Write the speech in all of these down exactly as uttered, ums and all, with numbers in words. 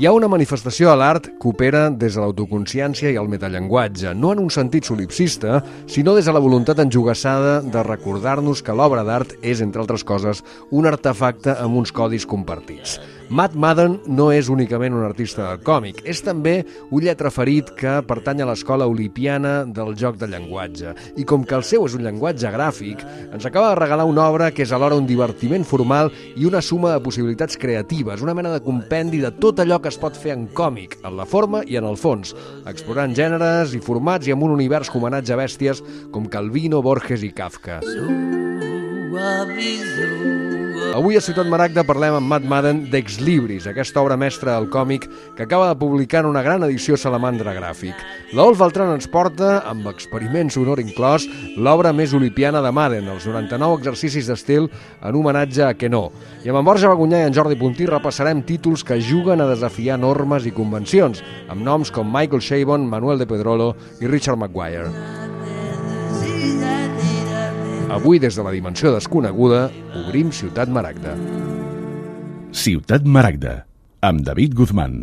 Hi ha una manifestació de l'art que opera des de l'autoconsciència i el metallenguatge, no en un sentit solipsista, sinó des de la voluntat enjogassada de recordar-nos que l'obra d'art és, entre altres coses, un artefacte amb uns codis compartits. Matt Madden no és únicament un artista del còmic, és també un lletraferit que pertany a l'escola olipiana del joc de llenguatge. I com que el seu és un llenguatge gràfic, ens acaba de regalar una obra que és alhora un divertiment formal i una suma de possibilitats creatives, una mena de compendi de tot allò que es pot fer en còmic, en la forma i en el fons, explorant gèneres i formats i amb un univers que homenatja a bèsties com Calvino, Borges i Kafka. Avui a Ciutat Maragda parlem amb Matt Madden d'Ex Libris, aquesta obra mestra del còmic que acaba de publicar en una gran edició Salamandra Gràfic. L'Olf Beltran ens porta, amb experiment sonor inclòs, l'obra més olipiana de Madden, els noranta-nou exercicis d'estil en homenatge a Queneau. I amb en Borja Bagunyà i en Jordi Puntí repassarem títols que juguen a desafiar normes i convencions, amb noms com Michael Chabon, Manuel de Pedrolo i Richard Maguire. Avui, des de la dimensió desconeguda, obrim Ciutat Maragda. Ciutat Maragda, amb David Guzmán.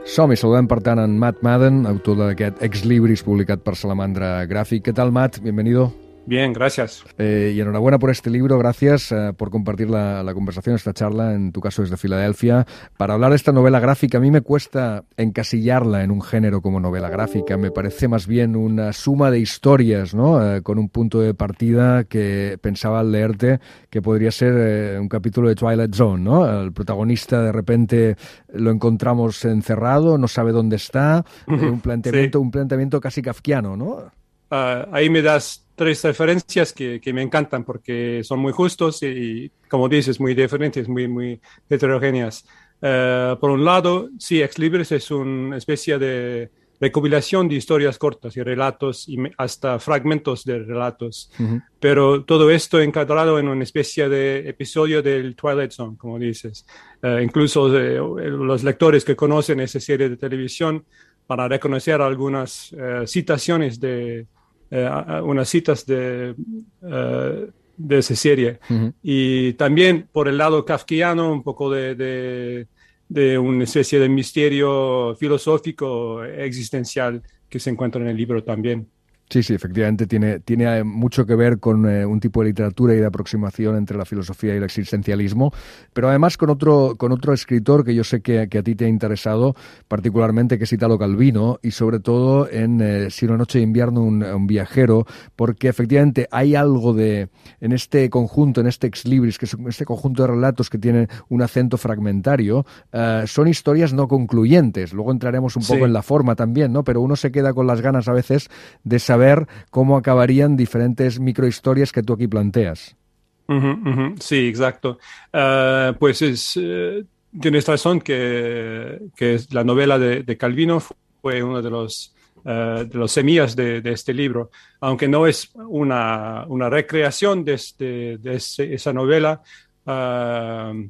Som-hi, saludem per tant en Matt Madden, autor d'aquest Ex Libris publicat per Salamandra Gràfic. ¿Qué tal, Matt? Bienvenido. Bien, gracias. Eh, y enhorabuena por este libro, gracias eh, por compartir la, la conversación, esta charla, en tu caso desde Filadelfia. Para hablar de esta novela gráfica, a mí me cuesta encasillarla en un género como novela gráfica, me parece más bien una suma de historias, ¿no? Eh, con un punto de partida que pensaba al leerte que podría ser eh, un capítulo de Twilight Zone, ¿no? El protagonista de repente lo encontramos encerrado, no sabe dónde está, eh, un planteamiento, sí. un planteamiento casi kafkiano, ¿no? Uh, ahí me das tres referencias que, que me encantan porque son muy justos y, y como dices, muy diferentes, muy, muy heterogéneas. Uh, por un lado, sí, Ex Libris es una especie de recopilación de historias cortas y relatos y hasta fragmentos de relatos, uh-huh. pero todo esto encadrado en una especie de episodio del Twilight Zone, como dices. Uh, incluso eh, los lectores que conocen esa serie de televisión van a reconocer algunas uh, citaciones de Uh, unas citas de, uh, de esa serie. Uh-huh. Y también por el lado kafkiano, un poco de, de, de una especie de misterio filosófico existencial que se encuentra en el libro también. Sí, sí, efectivamente tiene, tiene mucho que ver con eh, un tipo de literatura y de aproximación entre la filosofía y el existencialismo, pero además con otro, con otro escritor que yo sé que, que a ti te ha interesado particularmente, que es Italo Calvino, y sobre todo en eh, Si una noche de invierno un, un viajero, porque efectivamente hay algo de, en este conjunto, en este Ex Libris, que es este conjunto de relatos que tienen un acento fragmentario, eh, son historias no concluyentes. Luego entraremos un poco sí. en la forma también, ¿no? Pero uno se queda con las ganas a veces de saber ver cómo acabarían diferentes microhistorias que tú aquí planteas. Uh-huh, uh-huh. Sí, exacto. Uh, pues es, uh, tienes razón que, que la novela de, de Calvino fue uno de los, uh, de los semillas de, de este libro. Aunque no es una, una recreación de, este, de ese, esa novela, uh,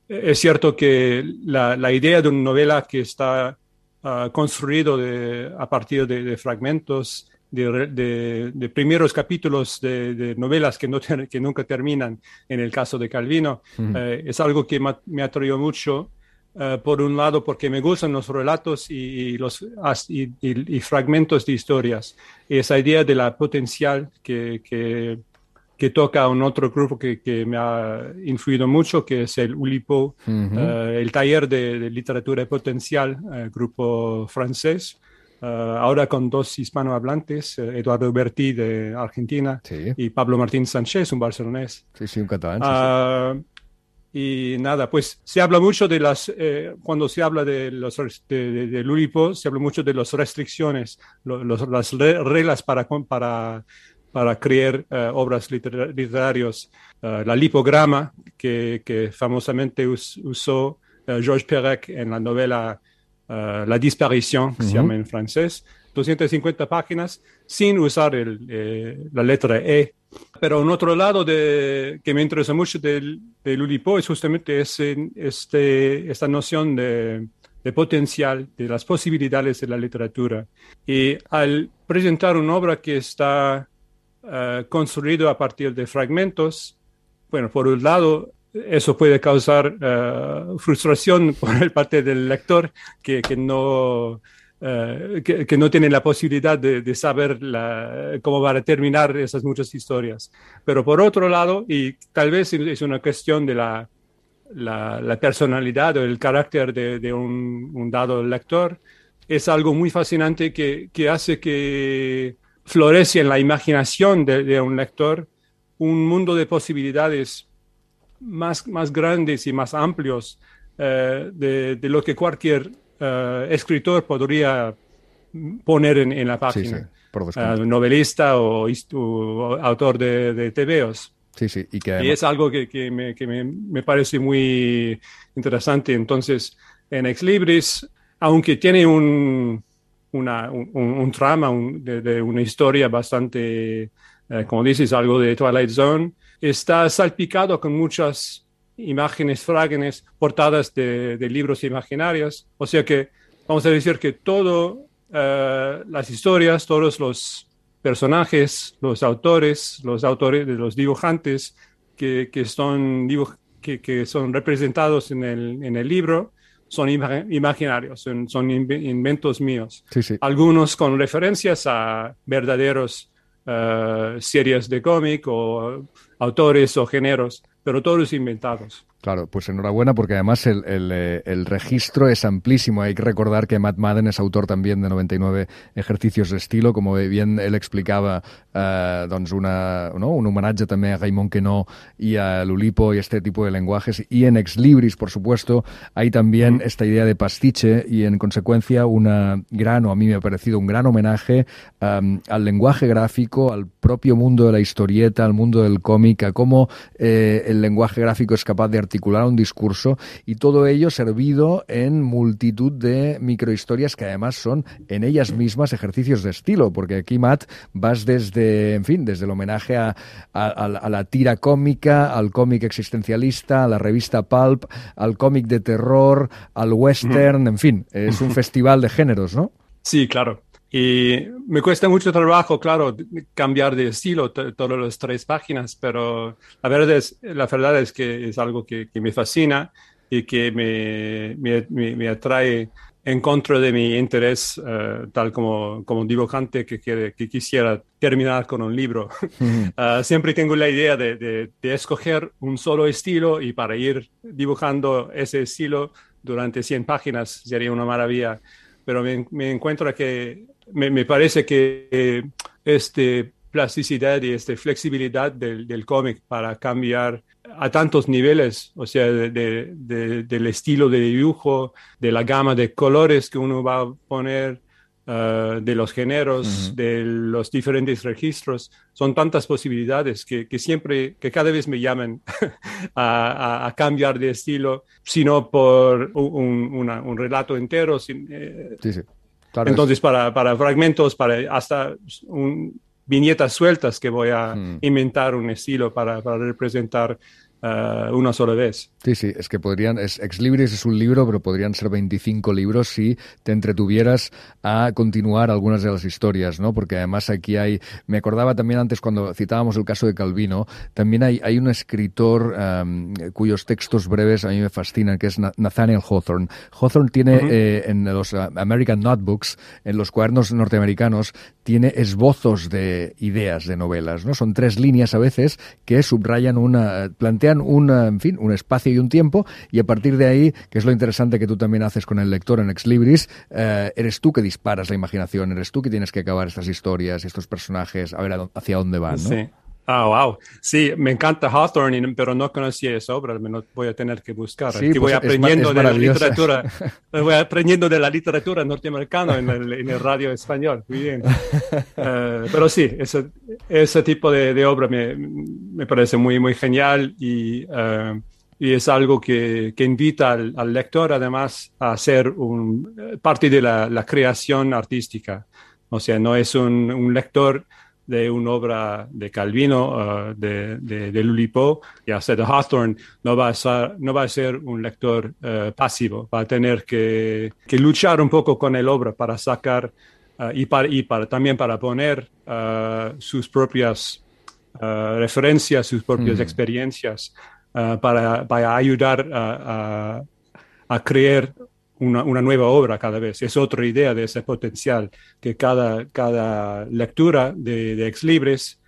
es cierto que la, la idea de una novela que está uh, construido de, a partir de, de fragmentos De, de, de primeros capítulos de, de novelas que, no ter, que nunca terminan, en el caso de Calvino, uh-huh. eh, es algo que ma, me atrajo mucho, eh, por un lado porque me gustan los relatos y, y los y, y, y fragmentos de historias, y esa idea de la potencial que, que, que toca a un otro grupo que, que me ha influido mucho, que es el Oulipo, uh-huh. eh, el taller de, de literatura potencial, eh, grupo francés. Uh, ahora con dos hispanohablantes, uh, Eduardo Bertí de Argentina sí. y Pablo Martín Sánchez, un barcelonés. Sí, sí, un catalán. Uh, sí, sí. Y nada, pues se habla mucho de las, eh, cuando se habla de los de, de, de Oulipo, se habla mucho de las restricciones, lo, los, las re, reglas para, para, para crear uh, obras liter, literarias. Uh, la lipograma que, que famosamente us, usó uh, Georges Perec en la novela Uh, La disparición, que uh-huh. se llama en francés, doscientas cincuenta páginas, sin usar el, eh, la letra E. Pero un otro lado de, que me interesa mucho del, del Oulipo es justamente ese, este, esta noción de, de potencial, de las posibilidades de la literatura. Y al presentar una obra que está uh, construido a partir de fragmentos, bueno, por un lado, eso puede causar uh, frustración por el parte del lector que, que no... Uh, que, que no tienen la posibilidad de, de saber la, cómo van a terminar esas muchas historias. Pero por otro lado, y tal vez es una cuestión de la, la, la personalidad o el carácter de, de un, un dado lector, es algo muy fascinante que, que hace que florece en la imaginación de, de un lector un mundo de posibilidades más, más grandes y más amplios uh, de, de lo que cualquier Uh, escritor podría poner en, en la página, sí, sí, por uh, novelista o, o autor de, de tebeos. Sí, sí, y, que además... y es algo que, que, me, que me, me parece muy interesante. Entonces, en Ex Libris, aunque tiene un, una, un, un trama un, de, de una historia bastante, uh, como dices, algo de Twilight Zone, está salpicado con muchas imágenes frágiles, portadas de, de libros imaginarios. O sea que vamos a decir que todas uh, las historias, todos los personajes, los autores, los autores, los dibujantes que, que, son, dibuj que, que son representados en el, en el libro son ima imaginarios, son, son inventos míos. Sí, sí. Algunos con referencias a verdaderos uh, series de cómic o autores o géneros, pero todos inventados. Claro, pues enhorabuena porque además el, el, el registro es amplísimo. Hay que recordar que Matt Madden es autor también de noventa y nueve ejercicios de estilo, como bien él explicaba, eh, doncs una, ¿no? un homenatge també a Raymond Queneau y a Lulipo y este tipo de lenguajes. Y en Ex Libris, por supuesto, hay también mm. esta idea de pastiche y en consecuencia una gran, o a mí me ha parecido un gran homenaje um, al lenguaje gráfico, al propio mundo de la historieta, al mundo del cómic, a cómo eh, el lenguaje gráfico es capaz de articular un discurso y todo ello servido en multitud de microhistorias que además son en ellas mismas ejercicios de estilo, porque aquí, Matt, vas desde, en fin, desde el homenaje a, a, a la tira cómica, al cómic existencialista, a la revista Pulp, al cómic de terror, al western, en fin, es un festival de géneros, ¿no? Sí, claro. Y me cuesta mucho trabajo, claro, cambiar de estilo todas las tres páginas, pero la verdad es, la verdad es que es algo que, que me fascina y que me, me, me atrae en contra de mi interés, uh, tal como, como dibujante que, quiere, que quisiera terminar con un libro. Mm. Uh, siempre tengo la idea de, de, de escoger un solo estilo y para ir dibujando ese estilo durante cien páginas sería una maravilla. Pero me, me encuentro que me, me parece que eh, esta plasticidad y esta flexibilidad del, del cómic para cambiar a tantos niveles, o sea, de, de, de, del estilo de dibujo, de la gama de colores que uno va a poner, uh, de los géneros, uh-huh. de los diferentes registros, son tantas posibilidades que, que siempre, que cada vez me llaman a, a, a cambiar de estilo, sino por un, una, un relato entero. Sin, eh, sí, sí. Claro, entonces, es... para, para fragmentos, para hasta un, viñetas sueltas que voy a hmm. inventar un estilo para, para representar uh, una sola vez. Sí, sí, es que podrían, es, Ex Libris es un libro, pero podrían ser veinticinco libros si te entretuvieras a continuar algunas de las historias, ¿no? Porque además aquí hay, me acordaba también antes cuando citábamos el caso de Calvino, también hay, hay un escritor um, cuyos textos breves a mí me fascinan, que es Nathaniel Hawthorne. Hawthorne tiene uh-huh. eh, en los American Notebooks, en los cuadernos norteamericanos, tiene esbozos de ideas de novelas, ¿no? Son tres líneas a veces que subrayan una, plantean una, en fin, un espacio y un tiempo, y a partir de ahí, que es lo interesante que tú también haces con el lector en Ex Libris, eh, eres tú que disparas la imaginación, eres tú que tienes que acabar estas historias, estos personajes, a ver hacia dónde van, ¿no? Sí. Ah, oh, wow. Sí, me encanta Hawthorne, pero no conocía esa obra, me lo voy a tener que buscar. Sí, que pues voy aprendiendo es, es de la literatura, voy aprendiendo de la literatura norteamericana en el, en el radio español. Muy bien. Uh, pero sí, ese, ese tipo de, de obra me, me parece muy, muy genial y, uh, y es algo que, que invita al, al lector además a ser un, parte de la, la creación artística. O sea, no es un, un lector de una obra de Calvino, uh, de, de, de Lulipo, ya sea de Hawthorne, no va a ser, no va a ser un lector uh, pasivo, va a tener que, que luchar un poco con el obra para sacar uh, y, para, y para, también para poner uh, sus propias uh, referencias, sus propias mm. experiencias uh, para, para ayudar a, a, a crear una, una nueva obra cada vez. Es otra idea de ese potencial, que cada, cada lectura de, de Ex Libris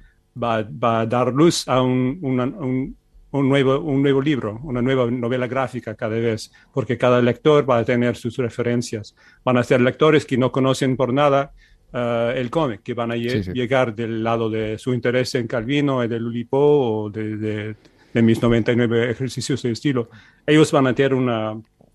va, va a dar luz a un, una, un, un, nuevo, un nuevo libro, una nueva novela gráfica cada vez, porque cada lector va a tener sus referencias. Van a ser lectores que no conocen por nada uh, el cómic, que van a sí, sí. llegar del lado de su interés en Calvino, de Oulipo o de, de, de mis noventa y nueve ejercicios de estilo. Ellos van a tener una,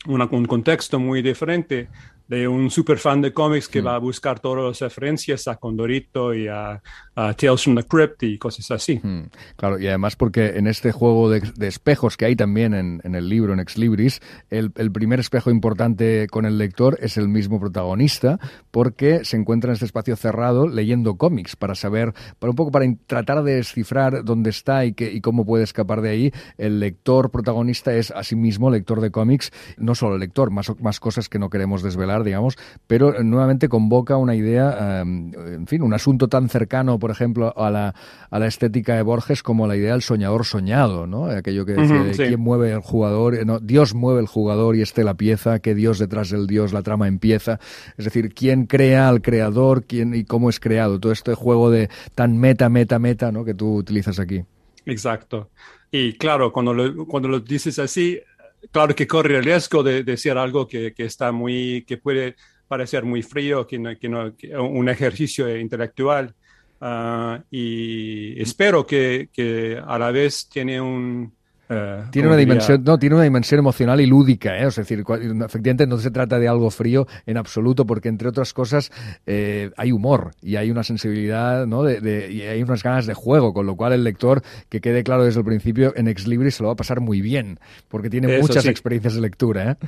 una, un contexto muy diferente de un super fan de cómics que mm. va a buscar todas las referencias a Condorito y a, a Tales from the Crypt y cosas así. Mm. Claro, y además porque en este juego de, de espejos que hay también en, en el libro, en Ex Libris, el, el primer espejo importante con el lector es el mismo protagonista, porque se encuentra en este espacio cerrado leyendo cómics para saber, para un poco para tratar de descifrar dónde está y, que, y cómo puede escapar de ahí. El lector protagonista es asimismo lector de cómics, no solo lector, más, más cosas que no queremos desvelar, digamos, pero nuevamente convoca una idea, um, en fin, un asunto tan cercano, por ejemplo, a la, a la estética de Borges como la idea del soñador soñado, ¿no? Aquello que decía, uh-huh, sí. ¿quién mueve el jugador? No, Dios mueve el jugador y esté la pieza, que Dios detrás del Dios la trama empieza. Es decir, ¿quién crea al creador? ¿Quién y cómo es creado? Todo este juego de tan meta, meta, meta, ¿no? Que tú utilizas aquí. Exacto. Y claro, cuando lo, cuando lo dices así, claro que corre el riesgo de, de decir algo que, que está muy, que puede parecer muy frío, que no, que no, que un ejercicio intelectual. Uh, y espero que, que a la vez tiene un... Uh, tiene una dimensión, no, tiene una dimensión emocional y lúdica, ¿eh? O sea, es decir, efectivamente no se trata de algo frío en absoluto, porque entre otras cosas eh, hay humor y hay una sensibilidad, ¿no? De, de, y hay unas ganas de juego, con lo cual el lector, que quede claro desde el principio, en Ex Libris se lo va a pasar muy bien, porque tiene eso, muchas sí. experiencias de lectura, ¿eh?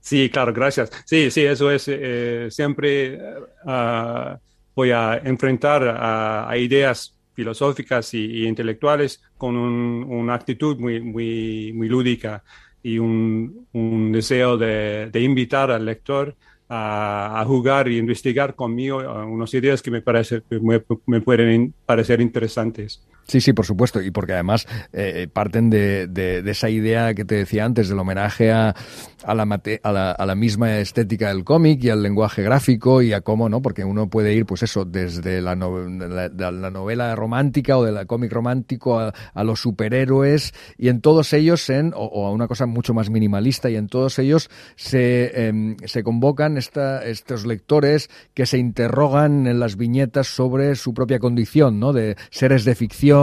Sí, claro, gracias. Sí, sí, eso es eh, siempre uh, voy a enfrentar a, a ideas filosóficas y, y intelectuales con un, una actitud muy, muy, muy lúdica y un, un deseo de, de invitar al lector a, a jugar y investigar conmigo unas ideas que me, parece, me, me pueden parecer interesantes. Sí, sí, por supuesto, y porque además eh, parten de, de, de esa idea que te decía antes, del homenaje a, a, la, mate, a, la, a la misma estética del cómic y al lenguaje gráfico y a cómo, ¿no? Porque uno puede ir, pues eso, desde la, no, la, la novela romántica o del cómic romántico a, a los superhéroes y en todos ellos, en, o, o a una cosa mucho más minimalista, y en todos ellos se, eh, se convocan esta, estos lectores que se interrogan en las viñetas sobre su propia condición, ¿no? De seres de ficción.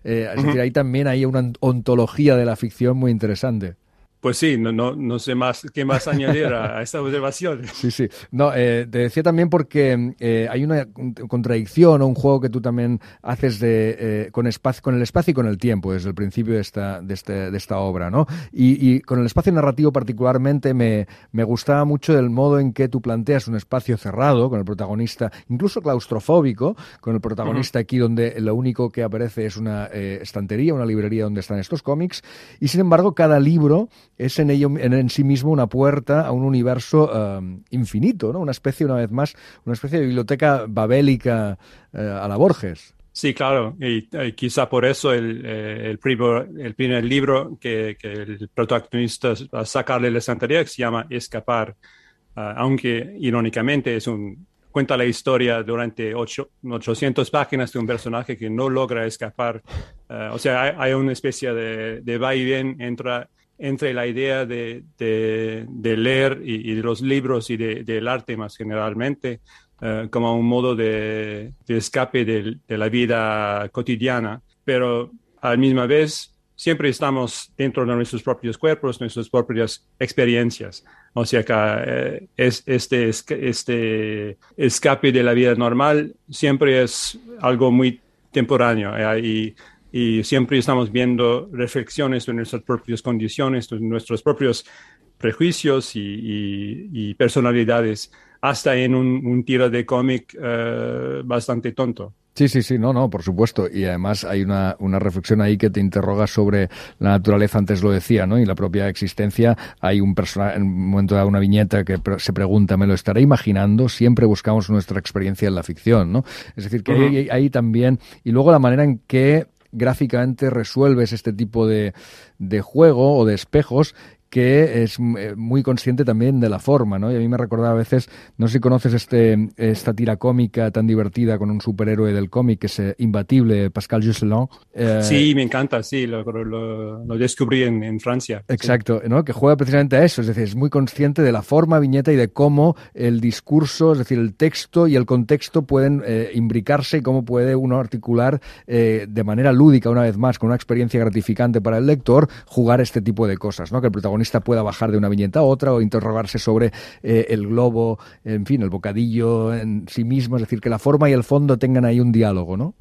Eh, es decir, ahí también hay una ontología de la ficción muy interesante. Pues sí, no, no, no sé más qué más añadir a, a esta observación. Sí, sí. No, eh, te decía también porque eh, hay una contradicción o un juego que tú también haces de, eh, con, espacio, con el espacio y con el tiempo desde el principio de esta, de este, de esta obra, ¿no? Y, y con el espacio narrativo particularmente me, me gustaba mucho el modo en que tú planteas un espacio cerrado con el protagonista, incluso claustrofóbico, con el protagonista uh-huh. aquí donde lo único que aparece es una eh, estantería, una librería donde están estos cómics, y sin embargo cada libro es en ello en, en sí mismo una puerta a un universo um, infinito, ¿no? Una especie, una vez más, una especie de biblioteca babélica uh, a la Borges. Sí, claro, y, y quizá por eso el, eh, el, primer, el primer libro que, que el protagonista va a sacarle de la estantería, que se llama Escapar, uh, aunque irónicamente es un, cuenta la historia durante ocho, ochocientas páginas de un personaje que no logra escapar. Uh, o sea, hay, hay una especie de, de va y ven entre... entre la idea de, de, de leer y, y de los libros y de, del arte más generalmente uh, como un modo de, de escape de, de la vida cotidiana, pero a la misma vez siempre estamos dentro de nuestros propios cuerpos, nuestras propias experiencias. O sea que eh, es, este, este escape de la vida normal siempre es algo muy temporáneo eh, y Y siempre estamos viendo reflexiones de nuestras propias condiciones, de nuestros propios prejuicios y, y, y personalidades, hasta en un, un tiro de cómic uh, bastante tonto. Sí, sí, sí, no, no, por supuesto. Y además hay una, una reflexión ahí que te interroga sobre la naturaleza, antes lo decía, ¿no? Y la propia existencia. Hay un personaje, en un momento de una viñeta que se pregunta, ¿me lo estaré imaginando? Siempre buscamos nuestra experiencia en la ficción, ¿no? Es decir, que uh-huh. hay, hay también... Y luego la manera en que gráficamente resuelves este tipo de, de juego o de espejos, que es muy consciente también de la forma, ¿no? Y a mí me recordaba a veces, no sé si conoces este esta tira cómica tan divertida con un superhéroe del cómic que es eh, Imbatible, Pascal Gosselin. Eh, sí, me encanta, sí, lo, lo, lo descubrí en, en Francia. Exacto, sí. ¿no? Que juega precisamente a eso, es decir, es muy consciente de la forma, viñeta y de cómo el discurso, es decir, el texto y el contexto pueden eh, imbricarse y cómo puede uno articular eh, de manera lúdica, una vez más, con una experiencia gratificante para el lector, jugar este tipo de cosas, ¿no? Que el protagonista pueda bajar de una viñeta a otra o interrogarse sobre eh, el globo, en fin, el bocadillo en sí mismo, es decir, que la forma y el fondo tengan ahí un diálogo, ¿no?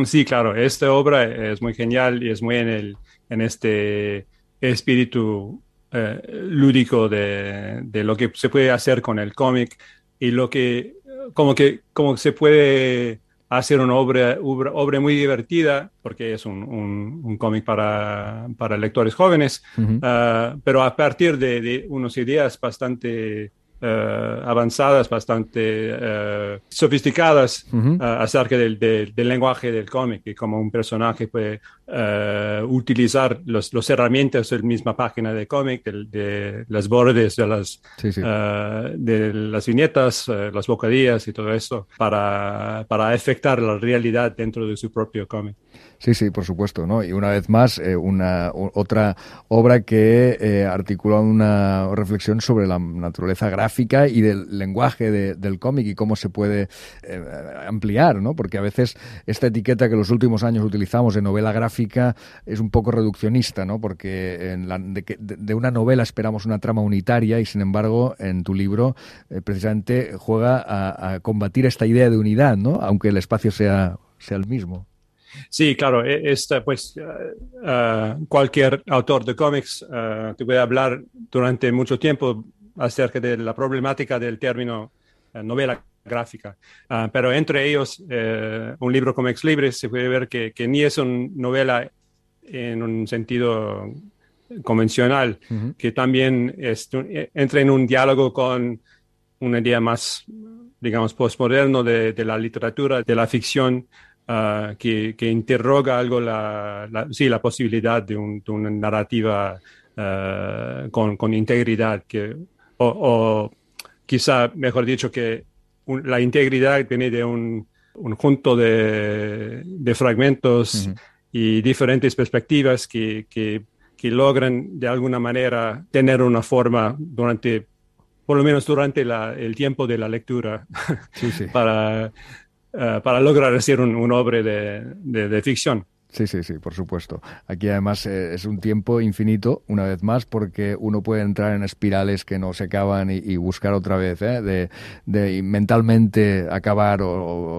Sí, claro, esta obra es muy genial y es muy en, el, en este espíritu eh, lúdico de, de lo que se puede hacer con el cómic y lo que, como que, como se puede hacer una obra, obra, obra muy divertida, porque es un, un, un cómic para, para lectores jóvenes, uh-huh. uh, pero a partir de, de unas ideas bastante uh, avanzadas, bastante uh, sofisticadas uh-huh. uh, acerca del, del, del lenguaje del cómic y cómo un personaje puede uh, utilizar los, los herramientas de la misma página de cómic, de, de las bordes, de las, sí, sí. Uh, de las viñetas, uh, las bocadillas y todo eso para, para afectar la realidad dentro de su propio cómic. Sí, sí, por supuesto, ¿no? Y una vez más, eh, una otra obra que eh, articula una reflexión sobre la naturaleza gráfica y del lenguaje de, del cómic y cómo se puede eh, ampliar, ¿no? Porque a veces esta etiqueta que en los últimos años utilizamos de novela gráfica es un poco reduccionista, ¿no? Porque en la, de, de, de una novela esperamos una trama unitaria y, sin embargo, en tu libro eh, precisamente juega a, a combatir esta idea de unidad, ¿no? Aunque el espacio sea, sea el mismo. Sí, claro, esta, pues uh, uh, cualquier autor de cómics uh, te puede hablar durante mucho tiempo acerca de la problemática del término uh, novela gráfica, uh, pero entre ellos uh, un libro como Ex Libris se puede ver que, que ni es una novela en un sentido convencional, uh-huh. que también es, entra en un diálogo con una idea más, digamos, postmoderno de, de la literatura, de la ficción, Uh, que, que interroga algo la, la, sí, la posibilidad de, un, de una narrativa uh, con, con integridad, que, o, o quizá, mejor dicho, que un, la integridad viene de un, un conjunto de, de fragmentos uh-huh. y diferentes perspectivas que, que, que logran de alguna manera tener una forma durante, por lo menos durante la, el tiempo de la lectura, sí, sí. para... Uh, para lograr hacer un, un obra de, de, de ficción. Sí, sí, sí, por supuesto. Aquí además eh, es un tiempo infinito, una vez más, porque uno puede entrar en espirales que no se acaban y, y buscar otra vez, ¿eh? de, de mentalmente acabar o,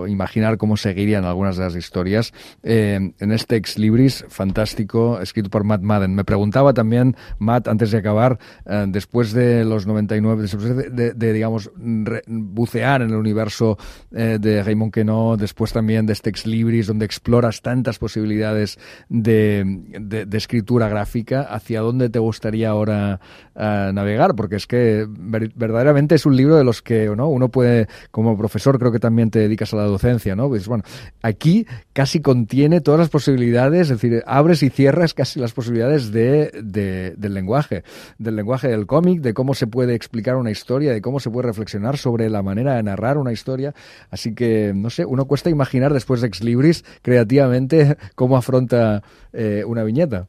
o imaginar cómo seguirían algunas de las historias. Eh, en este Ex Libris, fantástico, escrito por Matt Madden. Me preguntaba también, Matt, antes de acabar, eh, después de los noventa y nueve, después de, de, de digamos, re, bucear en el universo eh, de Raymond Queneau, después también de este Ex Libris, donde exploras tantas posibilidades De, de, de escritura gráfica, ¿hacia dónde te gustaría ahora uh, navegar? Porque es que ver, verdaderamente es un libro de los que, ¿no? Uno puede, como profesor, creo que también te dedicas a la docencia, ¿no? Pues bueno, aquí casi contiene todas las posibilidades, es decir, abres y cierras casi las posibilidades de, de, del lenguaje, del lenguaje del cómic, de cómo se puede explicar una historia, de cómo se puede reflexionar sobre la manera de narrar una historia. Así que, no sé, uno cuesta imaginar después de Ex Libris creativamente cómo afronta eh, una viñeta.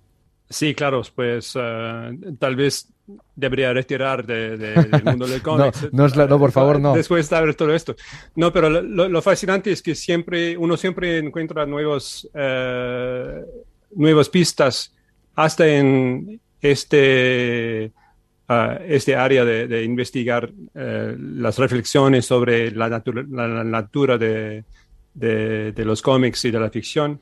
Sí, claro, pues uh, tal vez debería retirar de, de, del mundo del cómic. no, no, es la, no, por favor, no. Después de ver todo esto. No, pero lo, lo fascinante es que siempre, uno siempre encuentra nuevos, uh, nuevas pistas, hasta en este, uh, este área de, de investigar uh, las reflexiones sobre la, natura, la, la natura de, de, de los cómics y de la ficción.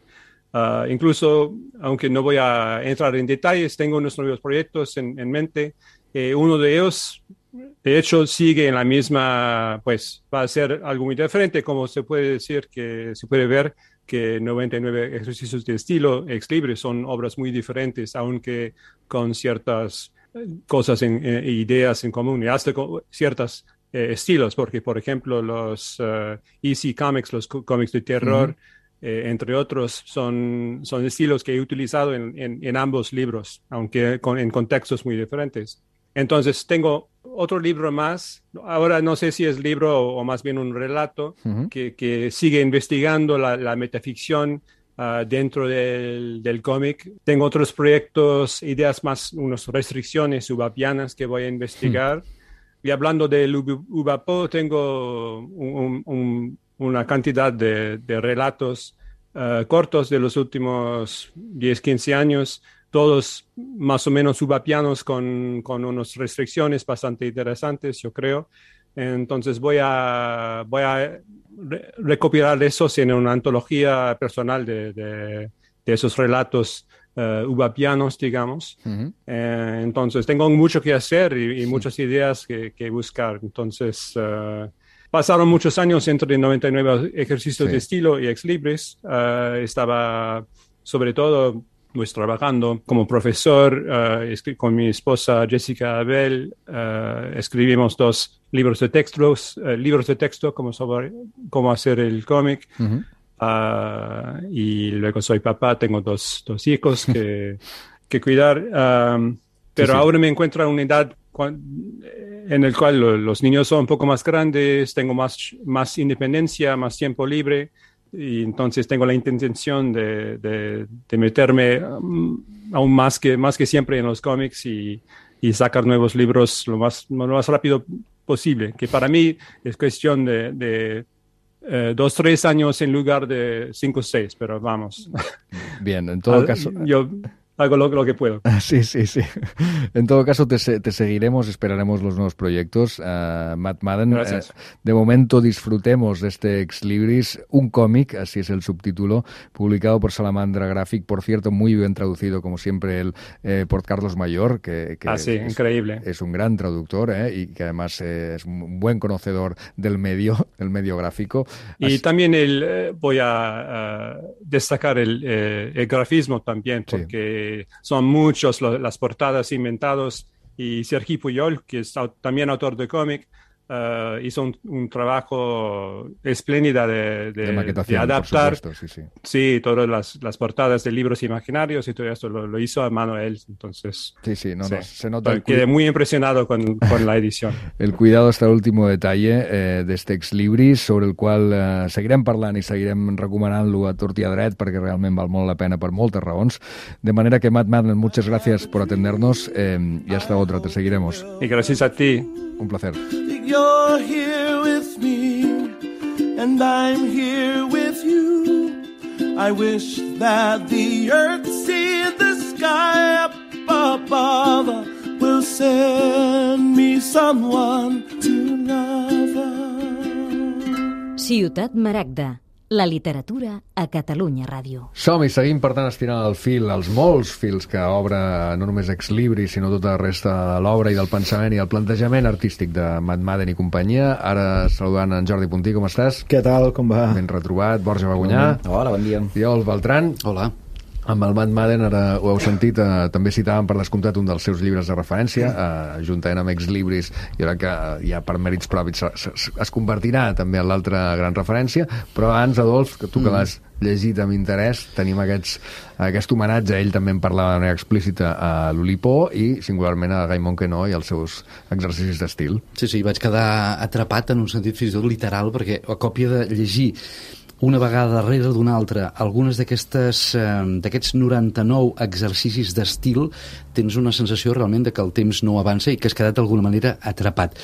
Uh, incluso, aunque no voy a entrar en detalles, tengo unos nuevos proyectos en, en mente. Eh, uno de ellos de hecho sigue en la misma, pues va a ser algo muy diferente, como se puede decir que se puede ver que noventa y nueve ejercicios de estilo ex libris son obras muy diferentes, aunque con ciertas cosas e eh, ideas en común y hasta con ciertos eh, estilos, porque por ejemplo los uh, E C Comics, los cómics de terror, uh-huh. eh, entre otros, son, son estilos que he utilizado en, en, en ambos libros, aunque con, en contextos muy diferentes. Entonces tengo otro libro más, ahora no sé si es libro o, o más bien un relato, uh-huh. que, que sigue investigando la, la metaficción uh, dentro del, del cómic. Tengo otros proyectos, ideas más, unas restricciones ubapianas que voy a investigar. Uh-huh. Y hablando del Ubapo, tengo un, un, una cantidad de, de relatos uh, cortos de los últimos diez, quince años, todos más o menos ubapianos con, con unas restricciones bastante interesantes, yo creo. Entonces voy a, voy a re recopilar esos en una antología personal de, de, de esos relatos uh, ubapianos, digamos. Uh-huh. eh, entonces tengo mucho que hacer y, y sí. muchas ideas que, que buscar. Entonces uh, pasaron muchos años entre noventa y nueve ejercicios sí. de estilo y ex libris. Uh, estaba sobre todo pues trabajando como profesor uh, con mi esposa Jessica Abel, uh, escribimos dos libros de textos, uh, libros de texto como sobre cómo hacer el cómic. Uh-huh. uh, y luego soy papá, tengo dos, dos hijos que, que cuidar, um, pero sí, sí. ahora me encuentro en una edad en la cual lo, los niños son un poco más grandes, tengo más, más independencia, más tiempo libre. Y entonces tengo la intención de, de, de meterme um, aún más que, más que siempre en los cómics y, y sacar nuevos libros lo más, lo más rápido posible, que para mí es cuestión de, de eh, dos, tres años en lugar de cinco, seis, pero vamos. Bien, en todo caso... Yo hago lo, lo que puedo. Sí, sí, sí. En todo caso, te, te seguiremos, esperaremos los nuevos proyectos. Uh, Matt Madden, Gracias. Uh, de momento disfrutemos de este Ex Libris, un cómic, así es el subtítulo, publicado por Salamandra Graphic, por cierto, muy bien traducido, como siempre, el, eh, por Carlos Mayor, que, que ah, sí, es, increíble. es un gran traductor eh, y que además eh, es un buen conocedor del medio, el medio gráfico. Y así... también el, eh, voy a uh, destacar el, eh, el grafismo también, porque sí. son muchos los, las portadas inventados y Sergi Puyol, que es también autor de cómic, uh, hizo un, un trabajo espléndido de, de, de, de adaptar por supuesto, sí, sí. sí, todas las, las portadas de libros imaginarios y todo esto lo, lo hizo a mano él. Entonces, sí, sí, no, sí. no, se nota. Quedé muy impresionado con, con la edición. El cuidado hasta el último detalle eh, d'este Ex Libris, sobre el qual eh, seguirem parlant i seguirem recomanant-lo a tort i a dret perquè realment val molt la pena per moltes raons. De manera que, Matt Madden, muchas gracias por atendernos eh, y hasta otra, te seguiremos. Y gracias a ti. Un placer. You're here with me and I'm here with you. I wish that the earth see the sky up above will send me someone to love. Ciutat Maragda, la literatura a Catalunya Ràdio. Som-hi, seguim per tant estirant el fil, els molts fils que obre no només Ex Libris, sinó tota la resta de l'obra i del pensament i el plantejament artístic de Matt Madden i companyia. Ara saludant en Jordi Puntí, com estàs? Què tal, com va? Ben retrobat. Borja Bagunyà. Hola, bon dia. Oriol Beltran. Hola. Amb el Matt Madden, ara ho heu sentit, eh, també citàvem per descomptat un dels seus llibres de referència, eh, juntament amb Ex Libris, i ara que eh, ja per mèrits propis es, es, es convertirà també en l'altra gran referència, però abans, Adolf, que tu que l'has llegit amb interès, tenim aquests, aquest homenatge, ell també en parlava de manera explícita a l'Oulipo i singularment a Guy Monquenot i els seus exercicis d'estil. Sí, sí, vaig quedar atrapat en un sentit fins i tot literal, perquè a còpia de llegir una vegada darrere d'una altra algunes d'aquestes eh, d'aquests noranta-nou exercicis d'estil, tens una sensació realment de que el temps no avança i que has quedat d'alguna manera atrapat.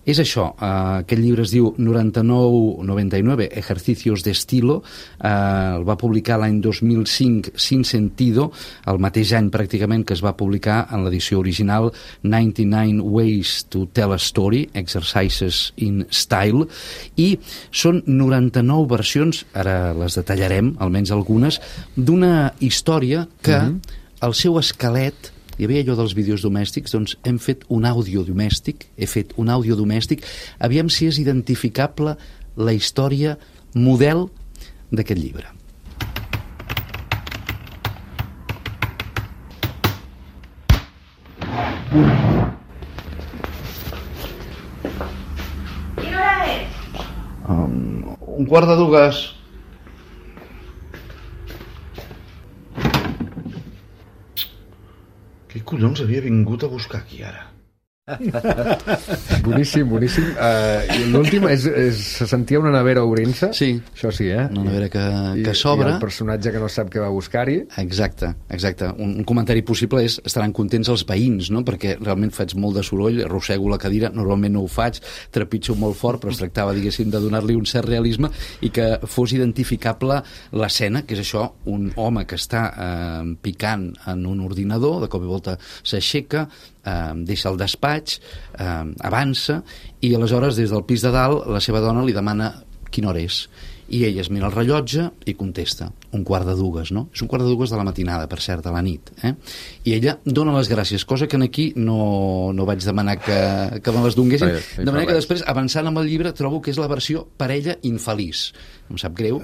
És això, eh, aquest llibre es diu noranta-nou noventa y nueve ejercicios de estilo, eh, el va publicar l'any dos mil cinc Sin Sentido, el mateix any pràcticament que es va publicar en l'edició original noranta-nou Ways to Tell a Story, Exercises in Style, i són noranta-nou versions, ara les detallarem, almenys algunes, d'una història que uh-huh. el seu esquelet hi havia allò dels vídeos domèstics, doncs hem fet un àudio domèstic, he fet un àudio domèstic, aviam si és identificable la història model d'aquest llibre. Quina hora és? Um, un quart de dues. Qui collons havia vingut a buscar aquí ara? Boníssim, boníssim. Uh, L'últim és, és, se sentia una nevera obrint-se. Sí. Això sí, eh? Una nevera que, que I, s'obre. I el personatge que no sap què va buscar-hi. Exacte, exacte. Un, un comentari possible és estaran contents els veïns, no? Perquè realment faig molt de soroll, arrossego la cadira, normalment no ho faig, trepitjo molt fort, però es tractava, diguéssim, de donar-li un cert realisme i que fos identificable l'escena, que és això, un home que està eh, picant en un ordinador, de cop i volta s'aixeca, eh, deixa el despatx, eh, avança, i aleshores des del pis de dalt la seva dona li demana quina hora és, i ella es mira el rellotge i contesta, un quart de dues, no? És un quart de dues de la matinada, per cert, de la nit, eh? I ella dona les gràcies, cosa que aquí no, no vaig demanar que, que me les donguessin, sí, de manera que després, avançant amb el llibre, trobo que és la versió parella infeliç. Em sap greu,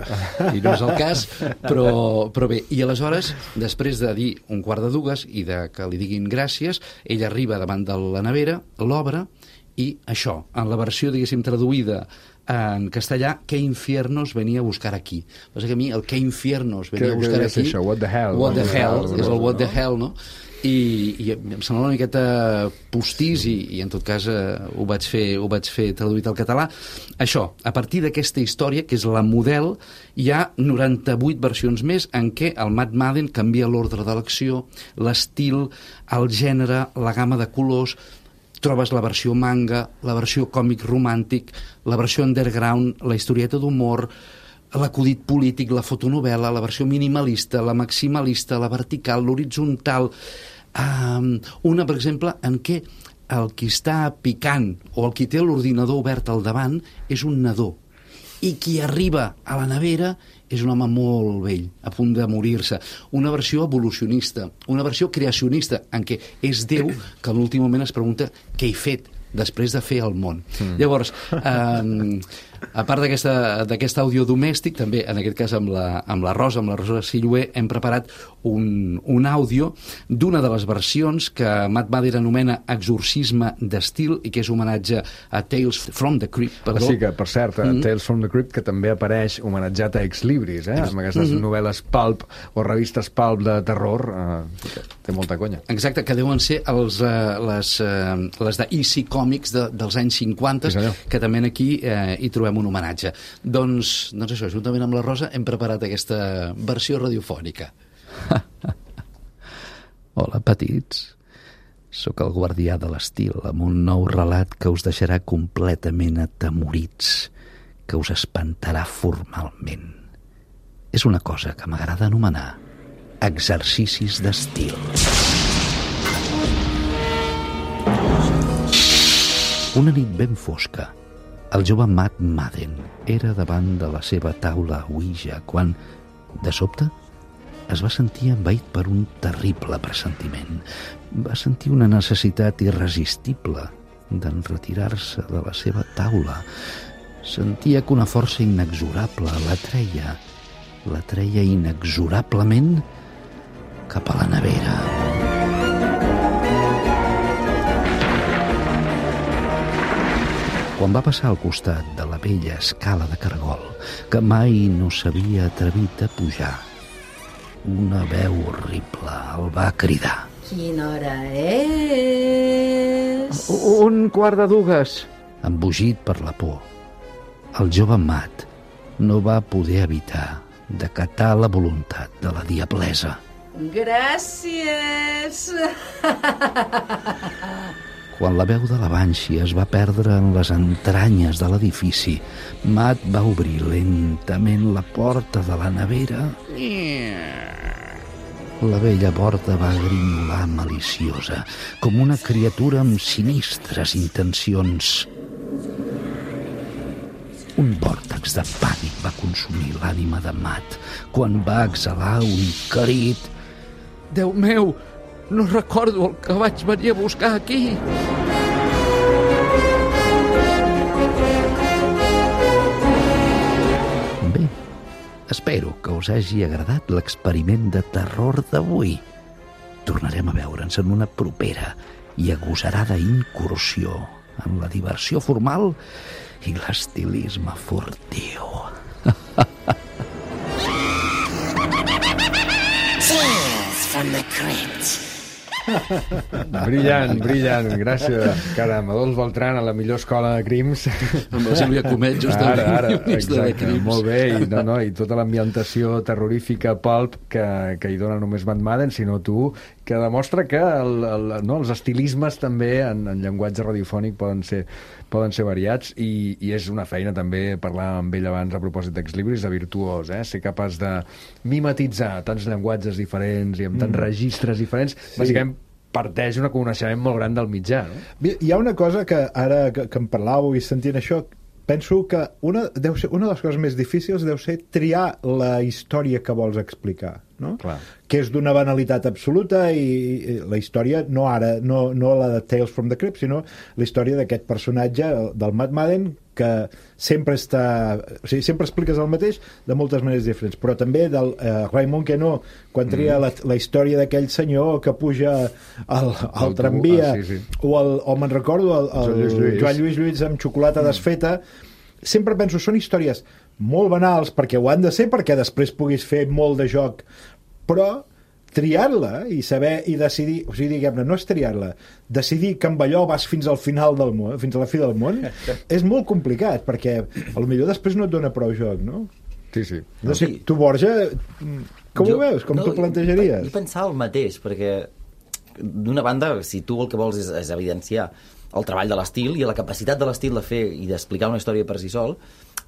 i no és el cas, però, però bé, i aleshores, després de dir un quart de dues i de que li diguin gràcies, ella arriba davant de la nevera, l'obre, i això, en la versió, diguéssim, traduïda en castellà, ¿qué infiernos venia a buscar aquí? Passa que a mi el ¿qué infiernos venia a buscar aquí? Això? What the hell? What the hell, és el what the hell, no? I, i em sembla una miqueta postís i, i en tot cas eh, ho, vaig fer, ho vaig fer traduït al català. Això, a partir d'aquesta història, que és la model, hi ha noranta-vuit versions més en què el Matt Madden canvia l'ordre de l'acció, l'estil, el gènere, la gamma de colors. Trobes la versió manga, la versió còmic romàntic, la versió underground, la historieta d'humor, l'acudit polític, la fotonovel·la, la versió minimalista, la maximalista, la vertical, l'horitzontal. Um, una, per exemple, en què el qui està picant o el qui té l'ordinador obert al davant és un nadó, i qui arriba a la nevera és un home molt vell, a punt de morir-se. Una versió evolucionista, una versió creacionista, en què és Déu que en l'últim moment es pregunta què he fet després de fer el món. Mm. Llavors, eh, a part d'aquest àudio domèstic, també, en aquest cas amb la, amb la Rosa, amb la Rosa Sillué, hem preparat un, un àudio d'una de les versions que Matt Madden anomena Exorcisme d'estil i que és homenatge a Tales from the Crypt. Perdó. Sí, que, per cert, mm -hmm. Tales from the Crypt, que també apareix homenatjat a Ex Libris, eh? amb aquestes mm -hmm. novel·les pulp o revistes pulp de terror, eh, té molta conya. Exacte, que deuen ser els, eh, les, eh, les de E C Comics de, dels anys cinquanta, sí, que també aquí eh, hi trobem un homenatge. Doncs, doncs això, juntament amb la Rosa hem preparat aquesta versió radiofònica. Hola, petits. Sóc el guardià de l'estil, amb un nou relat que us deixarà completament atemorits, que us espantarà formalment. És una cosa que m'agrada anomenar exercicis d'estil. Una nit ben fosca, el jove Matt Madden era davant de la seva taula Ouija quan, de sobte, es va sentir envaït per un terrible pressentiment. Va sentir una necessitat irresistible d'enretirar-se de la seva taula. Sentia que una força inexorable l'atreia, l'atreia inexorablement cap a la nevera. Quan va passar al costat de la vella escala de cargol, que mai no s'havia atrevit a pujar, una veu horrible el va cridar. Quina hora és? Un quart de dues. Embogit per la por, el jove Matt no va poder evitar d'acatar la voluntat de la diablesa. Gràcies! Quan la veu de la Banshee es va perdre en les entranyes de l'edifici, Matt va obrir lentament la porta de la nevera. La vella porta va grinyolar maliciosa, com una criatura amb sinistres intencions. Un vòrtex de pànic va consumir l'ànima de Matt quan va exhalar un crit. Déu meu, no recordo el que vaig venir a buscar aquí. Bé, espero que us hagi agradat l'experiment de terror d'avui. Tornarem a veure'ns en una propera i agosarada incursió en la diversió formal i l'estilisme furtiu. Tales from the crypt. Brillant, brillant, gràcies. Caram, Adolf Beltrán a la millor escola de crims. Amb la Sílvia Comet, justament. Ara, ara, exacte, crims. Molt bé, i, no, no, i tota l'ambientació terrorífica pulp que, que hi dona només Matt Madden, sinó tu, que demostra que el, el, no, els estilismes també en, en llenguatge radiofònic poden ser, poden ser variats, i, i és una feina també, parlar amb ell abans a propòsit d'Exlibris, de virtuós, eh? Ser capaç de mimetitzar tants llenguatges diferents i amb tants mm. registres diferents, sí. Bàsicament parteix un coneixement molt gran del mitjà, no? Hi ha una cosa que ara que, que em parlàveu i sentint això, penso que una, deu ser, una de les coses més difícils deu ser triar la història que vols explicar, no? Clar. Que és d'una banalitat absoluta, i, i la història, no ara, no, no la de Tales from the Crypt, sinó la història d'aquest personatge, del Matt Madden, que sempre està... O sigui, sempre expliques el mateix de moltes maneres diferents, però també del eh, Raymond Queneau, quan tria mm. la, la història d'aquell senyor que puja al, al tramvia, ah, sí, sí. o, el, o me'n recordo el, el Joan, Lluís Lluís. Joan Lluís Lluís amb xocolata mm. desfeta. Sempre penso, són històries molt banals, perquè ho han de ser, perquè després puguis fer molt de joc, però triar-la i saber i decidir, o sigui, diguem-ne, no és triar-la, decidir que amb allò vas fins al final del món, fins a la fi del món, és molt complicat, perquè potser després no et dona prou joc, no? Sí, sí. No sé, tu, Borja, com jo, ho veus? Com no, t'ho plantejaries? Jo pensava el mateix, perquè d'una banda, si tu el que vols és, és evidenciar el treball de l'estil i la capacitat de l'estil de fer i d'explicar una història per si sol,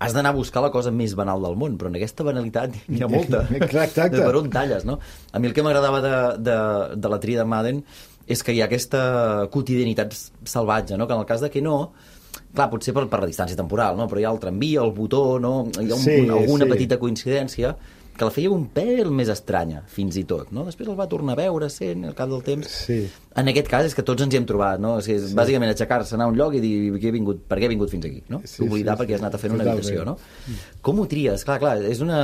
has d'anar a buscar la cosa més banal del món, però en aquesta banalitat n'hi ha molta. Exacte. Per on talles, no? A mi el que m'agradava de, de, de la tria de Madden és que hi ha aquesta quotidianitat salvatge, no? Que en el cas de que no, clar, potser per, per la distància temporal, no? Però hi ha el tramvia, el botó, no? Hi ha un, sí, alguna sí. petita coincidència que la feia un pèl més estranya, fins i tot, no? Després el va tornar a veure, sent, al cap del temps. Sí. En aquest cas és que tots ens hi hem trobat, no? És, és sí. bàsicament aixecar-se, anar a un lloc i dir que he vingut, per què he vingut fins aquí, no? Sí, oblidar sí, perquè has anat a fer una habitació, no? Com ho tries? Clar, clar, és una,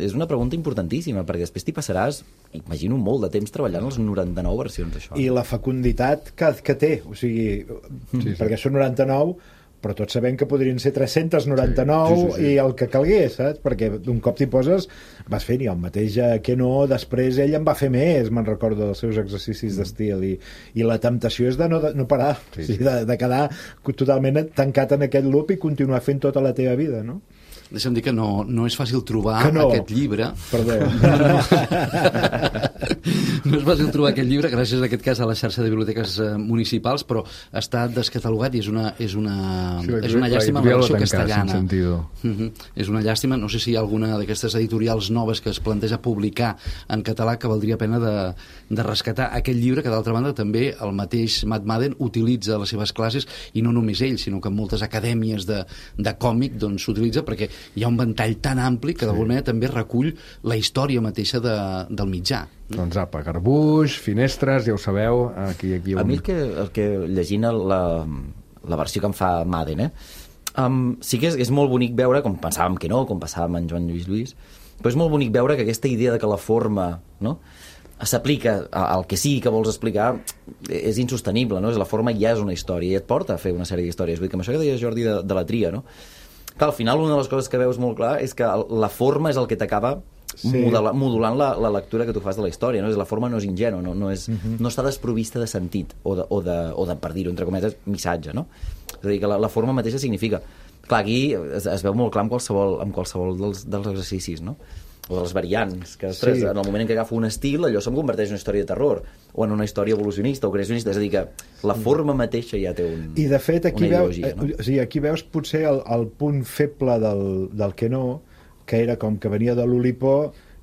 és una pregunta importantíssima, perquè després t'hi passaràs, imagino, molt de temps treballant les noranta-nou versions d'això. I la fecunditat que, que té, o sigui, sí, sí. perquè són noranta-nou, però tots sabem que podrien ser tres-cents noranta-nou sí, sí, sí, sí. i el que calgués, saps? Perquè d'un cop t'hi poses, vas fent, i el mateix que no, després ell en va fer més, me'n recordo dels seus exercicis mm. d'estil, i, i la temptació és de no, de, no parar, sí. o sigui, de, de quedar totalment tancat en aquest loop i continuar fent tota la teva vida, no? Deixa'm dir que no, no és fàcil trobar no. aquest llibre. Perdó. No, no. no és fàcil trobar aquest llibre, gràcies en aquest cas a la xarxa de biblioteques eh, municipals, però està descatalogat i és una, és una, sí, és una llàstima la versió castellana. Uh-huh. És una llàstima, no sé si hi ha alguna d'aquestes editorials noves que es planteja publicar en català que valdria pena de, de rescatar aquest llibre, que d'altra banda també el mateix Matt Madden utilitza a les seves classes, i no només ell, sinó que en moltes acadèmies de, de còmic doncs, s'utilitza, perquè hi ha un ventall tan ampli que d'alguna manera també recull la història mateixa de, del mitjà. Doncs apa, garbuix, finestres, ja ho sabeu, aquí, aquí un... A mi el que, el que llegint la, la versió que em fa Madden, eh, um, sí que és, és molt bonic veure, com pensàvem que no, com passàvem en Joan Lluís Lluís, però és molt bonic veure que aquesta idea de que la forma, no?, s'aplica al que sí que vols explicar és insostenible, no? La forma ja és una història i et porta a fer una sèrie d'històries. Vull dir que amb això que deia Jordi de, de la tria, no? Clar, al final una de les coses que veus molt clar és que la forma és el que t'acaba sí. modula, modulant la, la lectura que tu fas de la història, no? La forma no és ingènua, no, no, és, uh-huh. no està desprovista de sentit o de, o de, o de per dir-ho, entre cometes, missatge, no? És a dir, que la, la forma mateixa significa. Clar, aquí es, es veu molt clar amb qualsevol, amb qualsevol dels, dels exercicis, no? O de les variants, que després, sí. en el moment en què agafo un estil, allò se'm converteix en una història de terror, o en una història evolucionista o creacionista, és a dir, que la forma mateixa ja té un, I de fet, aquí una veus, ideologia, no? O sigui, aquí veus potser el, el punt feble del, del que no, que era com que venia de l'Oulipo,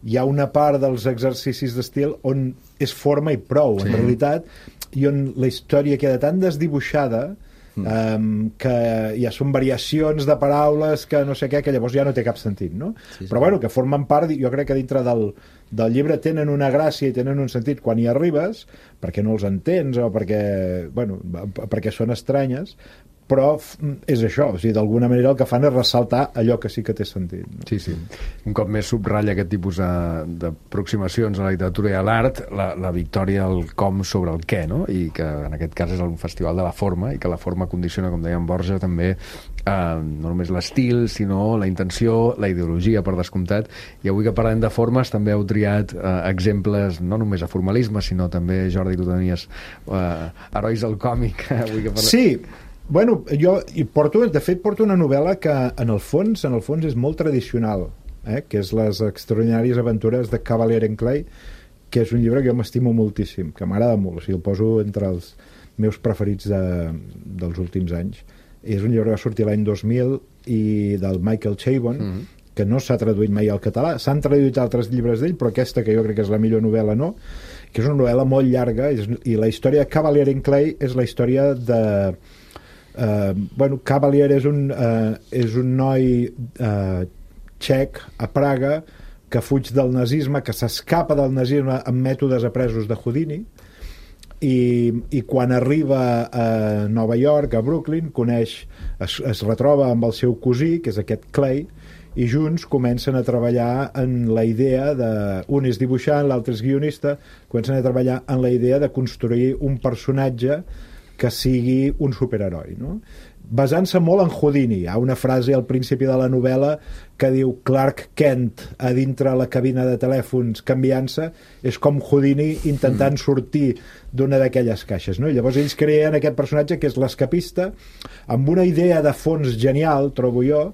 hi ha una part dels exercicis d'estil on és forma i prou, sí. en realitat, i on la història queda tan desdibuixada mm. um, que ja són variacions de paraules que no sé què, que llavors ja no té cap sentit, no? Sí, sí. Però bueno, que formen part, jo crec que dintre del, del llibre tenen una gràcia i tenen un sentit quan hi arribes, perquè no els entens o perquè, bueno, perquè són estranyes, però és això, o sigui, d'alguna manera el que fan és ressaltar allò que sí que té sentit, no? Sí, sí. Un cop més subratlla aquest tipus d'aproximacions a la literatura i a l'art, la, la victòria al com sobre el què, no? I que en aquest cas és un festival de la forma, i que la forma condiciona, com deia en Borja, també eh, no només l'estil, sinó la intenció, la ideologia, per descomptat. I avui que parlem de formes, també heu triat eh, exemples, no només a formalisme, sinó també, Jordi, tu tenies eh, herois del còmic. Avui que parlem... Sí, bueno, jo hi porto, de fet porto una novel·la que en el fons en el fons és molt tradicional, eh? Que és Les extraordinàries aventures de Cavalier and Clay, que és un llibre que jo m'estimo moltíssim, que m'agrada molt, o sigui, el poso entre els meus preferits de, dels últims anys. És un llibre que va sortir l'any dos mil i del Michael Chabon, mm-hmm. que no s'ha traduït mai al català. S'han traduït altres llibres d'ell, però aquesta, que jo crec que és la millor novel·la, no, que és una novel·la molt llarga, és, i la història de Cavalier and Clay és la història de... Uh, bueno, Cavalier és un, uh, és un noi uh, txec a Praga que fuig del nazisme, que s'escapa del nazisme amb mètodes apresos de Houdini, i, i quan arriba a Nova York, a Brooklyn, coneix, es, es retroba amb el seu cosí, que és aquest Clay, i junts comencen a treballar en la idea de... Un és dibuixant, l'altre és guionista, comencen a treballar en la idea de construir un personatge que sigui un superheroi, no? Basant-se molt en Houdini. Hi ha una frase al principi de la novel·la que diu Clark Kent a dintre la cabina de telèfons canviant-se, és com Houdini intentant sortir d'una d'aquelles caixes, no? I llavors ells creen aquest personatge que és l'escapista, amb una idea de fons genial, trobo jo,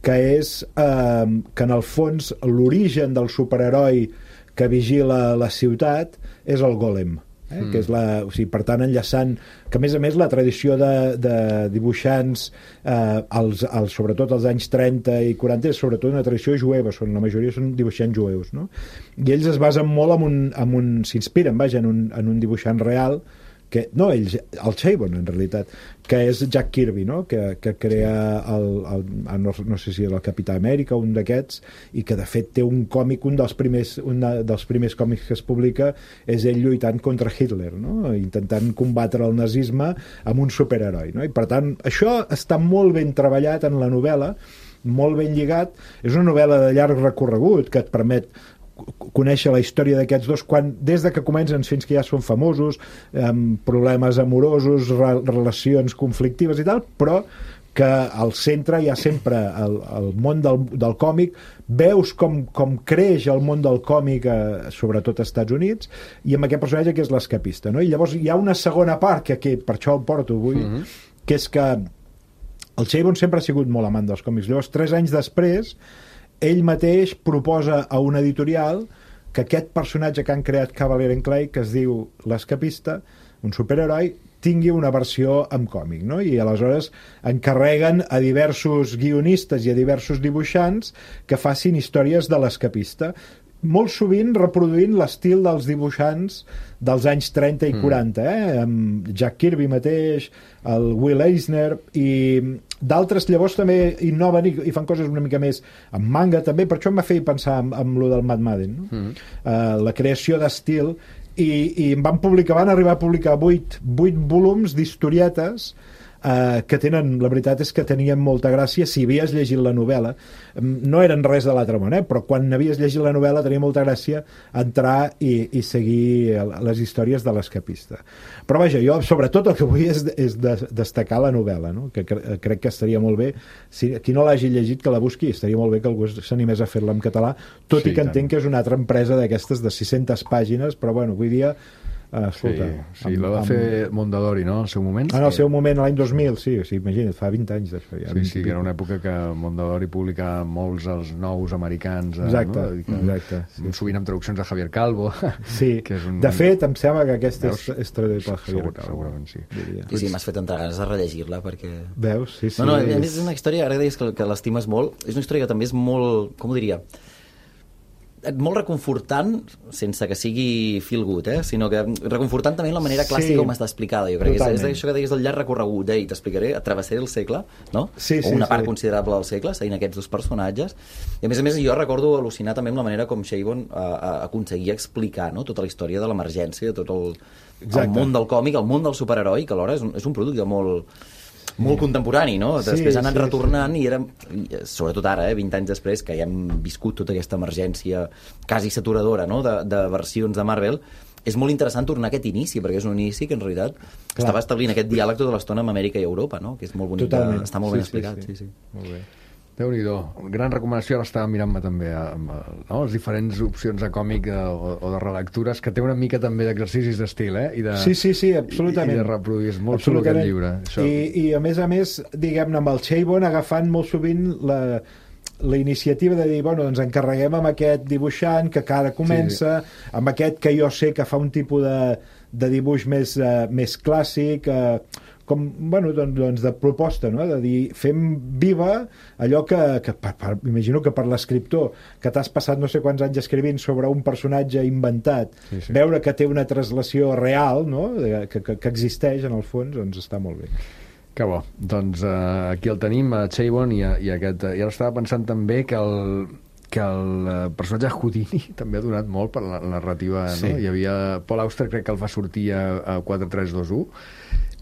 que és eh, que en el fons l'origen del superheroi que vigila la ciutat és el Golem. Eh? Mm. Que és la, o sigui, per tant, enllaçant que a més a més la tradició de, de dibuixants eh, als, als, sobretot als anys trenta i quaranta és sobretot una tradició jueva, són, la majoria són dibuixants jueus, no? I ells es basen molt en un, en un s'inspiren, vaja, en un, en un dibuixant real que, no, ells, el Chabon en realitat, que és Jack Kirby, no? que, que crea el, el, no, no sé si el Capità Amèrica, un d'aquests, i que de fet té un còmic, un dels primers, un dels primers còmics que es publica és ell lluitant contra Hitler, no? Intentant combatre el nazisme amb un superheroi, no? I per tant això està molt ben treballat en la novel·la, molt ben lligat. És una novel·la de llarg recorregut que et permet conèixer la història d'aquests dos quan, des de que comencen fins que ja són famosos, amb problemes amorosos, re relacions conflictives i tal, però que al centre hi ha sempre el, el món del, del còmic. Veus com, com creix el món del còmic, eh, sobretot als Estats Units, i amb aquest personatge que és l'escapista, no? I llavors hi ha una segona part que aquí, per això el porto avui, mm-hmm. que és que el Chabon sempre ha sigut molt amant dels còmics. Llavors, tres anys després, ell mateix proposa a una editorial que aquest personatge que han creat Cavalier and Clay, que es diu l'escapista, un superheroi, tingui una versió en còmic, no? I aleshores encarreguen a diversos guionistes i a diversos dibuixants que facin històries de l'escapista, molt sovint reproduint l'estil dels dibuixants dels anys trenta i quaranta, eh? Amb Jack Kirby mateix, el Will Eisner, i d'altres llavors també innoven i, i fan coses una mica més amb manga també, per això em va fer pensar en, en lo del Mad Madden, no? Mm. Uh, la creació d'estil, i, i van publicar, van arribar a publicar vuit, vuit volums d'historietes Uh, que tenen, la veritat és que tenien molta gràcia si havies llegit la novel·la. No eren res de l'altre món, eh? Però quan havies llegit la novel·la tenia molta gràcia entrar i, i seguir les històries de l'escapista. Però vaja, jo sobretot el que vull és, és de, destacar la novel·la, no? Que cre crec que estaria molt bé, si qui no l'hagi llegit que la busqui, estaria molt bé que algú s'animés a fer-la en català, tot sí, i que tant. Entenc que és una altra empresa d'aquestes de sis-centes pàgines, però bueno, avui dia Uh, escolta, sí, sí, la va amb... fer Mondadori, no?, al seu moment. En el seu moment, l'any dos mil, sí, sí, imagina't, fa vint anys d'això. Ja, sí, sí, que era una època que Mondadori publicava molts els nous americans. Exacte, no? que, exacte. Sí. Sovint amb traduccions de Javier Calvo. Sí, que és un... de fet, em sembla que aquesta Veus? és, és traduït per Javier Segur, Calvo. Segurament sí. Sí, sí, m'has fet entrar ganes de rellegir-la, perquè... Veus? Sí, sí. No, no, és una història, ara deies que, que l'estimes molt, és una història que també és molt, com ho diria... molt reconfortant, sense que sigui feel good, eh? Sinó que reconfortant també la manera clàssica sí, com està explicada. Jo crec totalment. que és, és això que deies del llarg recorregut, eh? I t'explicaré, travessaré el segle, no? Sí, sí, o una part sí. considerable del segle, seguint aquests dos personatges. I a més a més, jo recordo al·lucinar també amb la manera com Chabon uh, aconseguia explicar, no?, tota la història de l'emergència, tot el, el món del còmic, el món del superheroi, que alhora és un, és un producte molt... molt contemporani, no? Sí, després ha anat sí, retornant sí. i era, sobretot ara, eh, vint anys després, que ja hem viscut tota aquesta emergència quasi saturadora, no?, de, de versions de Marvel, és molt interessant tornar a aquest inici, perquè és un inici que en realitat Clar. estava establint aquest diàleg tota l'estona amb Amèrica i Europa, no?, que és molt bonic, de, està molt sí, ben explicat. Sí, sí. Sí, sí. Molt bé. Déu-n'hi-do. Gran recomanació, ara estava mirant-me també amb, no? les diferents opcions de còmic o, o de relectures, que té una mica també d'exercicis d'estil, eh? I de, sí, sí, sí, absolutament. I, i de reproduir. És molt xulo aquest llibre. Això. I, I a més a més, diguem-ne, amb el Chabon agafant molt sovint la, la iniciativa de dir, bueno, doncs encarreguem amb aquest dibuixant que ara comença, sí. amb aquest que jo sé que fa un tipus de, de dibuix més, uh, més clàssic, uh, com, bueno, doncs, doncs de proposta, no?, de dir, fem viva allò que, que per, per, imagino que per l'escriptor, que t'has passat no sé quants anys escrivint sobre un personatge inventat, sí, sí. veure que té una translació real, no?, que, que, que existeix en el fons, doncs està molt bé. Que bo. Doncs uh, aquí el tenim, a Chabon, i, a, i, aquest, i ara estava pensant també que el, que el personatge Houdini també ha donat molt per la narrativa, sí. no? Hi havia Paul Auster, crec que el va sortir a, a quatre tres dos u,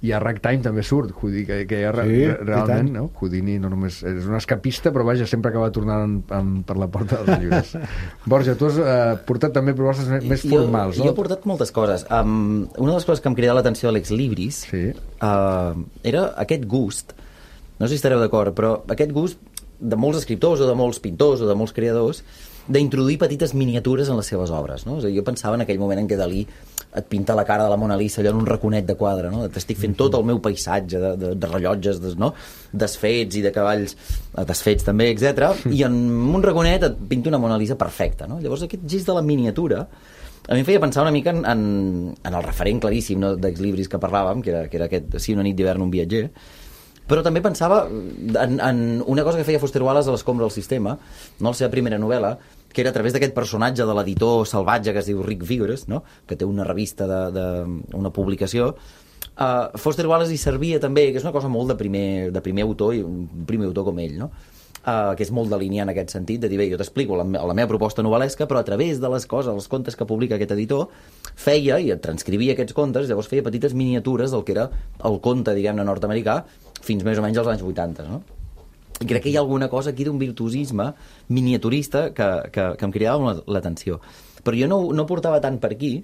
i a Ragtime també surt Houdini, que, que ja sí, realment no? Houdini no només és un escapista, però vaja, sempre acaba tornant en, en, per la porta dels llibres. Borja, tu has eh, portat també propostes més, més formals, jo, no? Jo he portat moltes coses. Um, una de les coses que em cridava l'atenció de l'ex Libris sí. uh, era aquest gust, no sé si estareu d'acord, però aquest gust de molts escriptors o de molts pintors o de molts creadors d'introduir petites miniatures en les seves obres, no? És a dir, jo pensava en aquell moment en què Dalí et pinta la cara de la Mona Lisa allò en un raconet de quadre, no? T'estic fent tot el meu paisatge de, de, de rellotges, de, no? desfets i de cavalls desfets també, etcètera. I en un raconet et pinta una Mona Lisa perfecta, no? Llavors aquest gest de la miniatura a mi em feia pensar una mica en, en, en el referent claríssim, no? d'Ex Libris que parlàvem, que era, que era aquest Sí, una nit d'hivern, un viatger, però també pensava en, en una cosa que feia Foster Wallace a l'Escombra del sistema, no la seva primera novel·la, que era a través d'aquest personatge de l'editor salvatge que es diu Rick Vigorous, no? que té una revista, de, de, una publicació. Uh, Foster Wallace hi servia també, que és una cosa molt de primer, de primer autor, i un primer autor com ell, no? Uh, que és molt delineant en aquest sentit, de dir, bé, jo t'explico la, la meva proposta novel·lesca, però a través de les coses, els contes que publica aquest editor, feia i transcrivia aquests contes, llavors feia petites miniatures del que era el conte, diguem-ne, nord-americà, fins més o menys als anys vuitanta, no? I crec que hi ha alguna cosa aquí d'un virtuosisme miniaturista que, que, que em cridava l'atenció. Però jo no, no portava tant per aquí,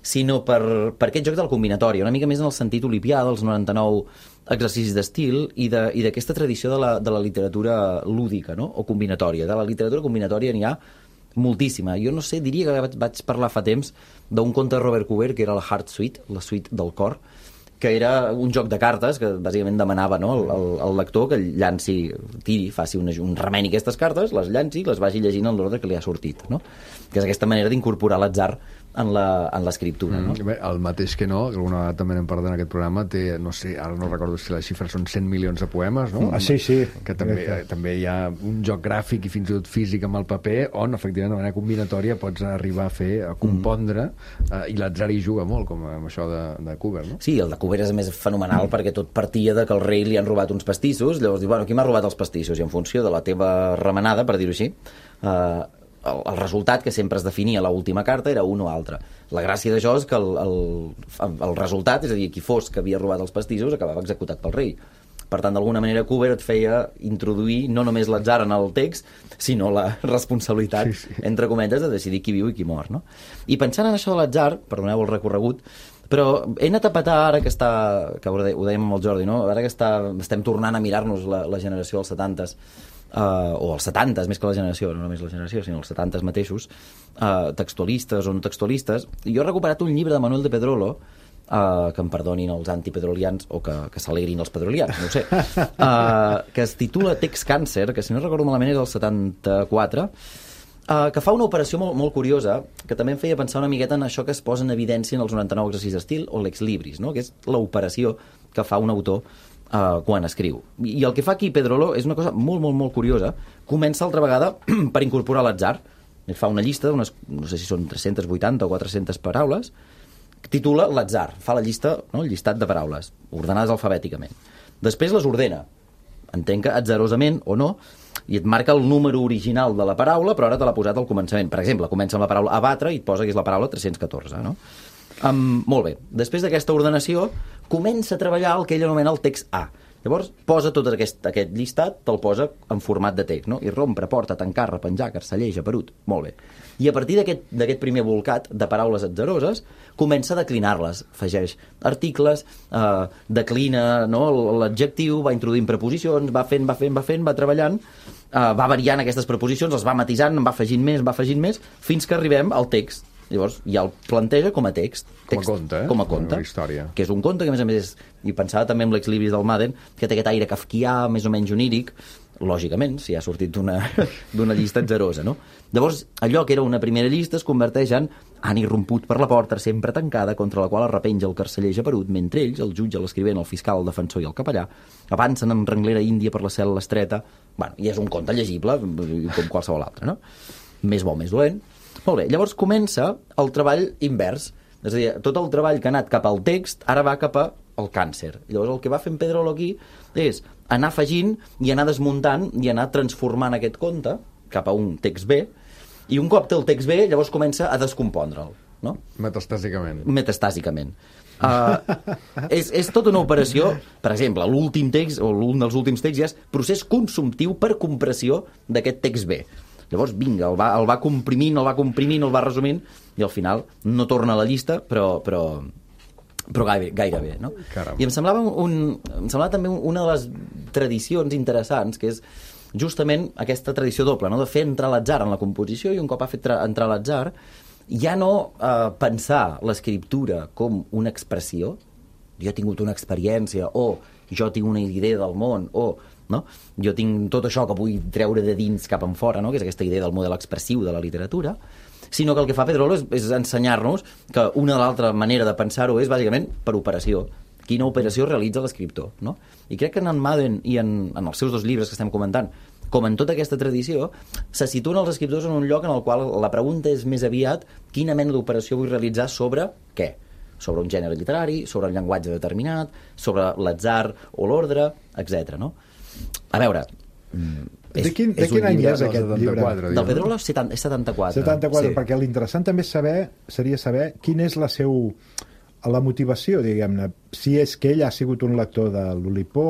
sinó per, per aquest joc del combinatori, una mica més en el sentit olipià dels noranta-nou exercicis d'estil i d'aquesta tradició de la, de la literatura lúdica, no? O combinatòria. De la literatura combinatòria n'hi ha moltíssima. Jo no sé, diria que vaig, vaig parlar fa temps d'un conte de Robert Cooper, que era la Heart Suite, la suite del cor, que era un joc de cartes que bàsicament demanava, no, al, al lector que llanci, tiri, faci un, un remeni aquestes cartes, les llanci, les vagi llegint en l'ordre que li ha sortit, no? Que és aquesta manera d'incorporar l'atzar en l'escriptura, no? Mm, bé, el mateix que no, que alguna vegada també n'hem parlat en aquest programa, té, no sé, ara no recordo si les xifres són cent milions de poemes, no? Ah, sí, sí. Que també, eh, també hi ha un joc gràfic i fins i tot físic amb el paper on, efectivament, de manera combinatòria pots arribar a fer, a compondre, mm. eh, i l'atzar hi juga molt, com amb això de, de Cooper, no? Sí, el de Cooper és més fenomenal mm. perquè tot partia de que al rei li han robat uns pastissos, llavors diu, bueno, qui m'ha robat els pastissos? I en funció de la teva remenada, per dir-ho així, eh, el, el resultat que sempre es definia a l'última carta era un o altre. La gràcia d'això és que el, el, el resultat, és a dir, qui fos que havia robat els pastissos, acabava executat pel rei. Per tant, d'alguna manera, Cooper et feia introduir no només l'atzar en el text, sinó la responsabilitat, sí, sí. entre cometes, de decidir qui viu i qui mor, no? I pensant en això de l'atzar, perdoneu el recorregut, però he anat a petar ara que està, que ho dèiem amb el Jordi, no? Ara que està, estem tornant a mirar-nos la, la generació dels setantes, Uh, o els setantes, més que la generació, no només la generació, sinó els setantes mateixos, uh, textualistes o no textualistes. Jo he recuperat un llibre de Manuel de Pedrolo, uh, que em perdonin els antipedrolians o que, que s'alegrin els pedrolians, no ho sé, uh, que es titula Text Càncer, que si no recordo malament és del setanta-quatre, uh, que fa una operació molt, molt curiosa, que també em feia pensar una miqueta en això que es posa en evidència en els noranta-nou exercicis d'estil o l'ex libris, no? Que és l'operació que fa un autor Uh, quan escriu. I el que fa aquí Pedrolo és una cosa molt, molt, molt curiosa. Comença altra vegada per incorporar l'atzar Et fa una llista d'unes, no sé si són tres-centes vuitanta o quatre-centes paraules, que titula l'atzar, fa la llista, no? El llistat de paraules, ordenades alfabèticament. Després les ordena, entenc que atzarosament o no, i et marca el número original de la paraula, però ara te l'ha posat al començament. Per exemple, comença amb la paraula abatre i et posa que és la paraula tres-cents catorze, no? Um, molt bé. Després d'aquesta ordenació, comença a treballar el que ell anomena el text A. Llavors, posa tot aquest, aquest llistat, te'l posa en format de text, no? I rompre, porta, tancar, repenjar, carceller, japerut. Molt bé. I a partir d'aquest primer volcat de paraules atzaroses, comença a declinar-les. Afegeix articles, eh, declina, no, l'adjectiu, va introduint preposicions, va fent, va fent, va fent, va treballant, eh, va variant aquestes preposicions, les va matisant, en va afegint més, en va afegint més, fins que arribem al text. Llavors ja el planteja com a text. text com a conte, eh? Com a conte. Una història. Que és un conte que, a més a més, és, i pensava també en l'ex libris del Madden, que té aquest aire kafkià, més o menys oníric, lògicament, si ha sortit d'una llista atzarosa, no? Llavors, allò que era una primera llista es converteix en han irromput per la porta sempre tancada contra la qual es repenja el carceller japerut, mentre ells, el jutge, l'escrivent, el fiscal, el defensor i el capellà, avancen en renglera índia per la cel·la estreta. Bueno, i és un conte llegible, com qualsevol altre, no? Més bo, més dolent. Molt bé, llavors comença el treball invers. És a dir, tot el treball que ha anat cap al text ara va cap al càncer. Llavors el que va fent Pedrolo aquí és anar afegint i anar desmuntant i anar transformant aquest conte cap a un text B, i un cop té el text B, llavors comença a descompondre'l, no? Metastàsicament. Metastàsicament. Uh, és, és tota una operació. Per exemple, l'últim text, o un dels últims texts ja és procés consumptiu per compressió d'aquest text B. Llavors, vinga, el va, el va comprimint, el va comprimint, el va resumint, i al final no torna a la llista, però, però, però gairebé, gairebé, no? Caram. I em semblava, un, em semblava també una de les tradicions interessants, que és justament aquesta tradició doble, no? De fer entrar l'atzar en la composició, i un cop ha fet entrar l'atzar, ja no eh, pensar l'escriptura com una expressió, jo he tingut una experiència, o jo tinc una idea del món, o no? Jo tinc tot això que vull treure de dins cap en fora, no? Que és aquesta idea del model expressiu de la literatura, sinó que el que fa Pedrolo és, és ensenyar-nos que una de l'altra manera de pensar-ho és bàsicament per operació. Quina operació realitza l'escriptor, no? I crec que en Madden i en, en els seus dos llibres que estem comentant, com en tota aquesta tradició, se situen els escriptors en un lloc en el qual la pregunta és més aviat quina mena d'operació vull realitzar sobre què? Sobre un gènere literari, sobre un llenguatge determinat, sobre l'atzar o l'ordre, etcètera, no? A veure... És, de quin, de quin any és aquest llibre? Del Pedrolo és setanta-quatre. setanta-quatre, sí. Perquè l'interessant també saber, seria saber quina és la seu, la motivació, diguem-ne, si és que ell ha sigut un lector de l'Oulipo,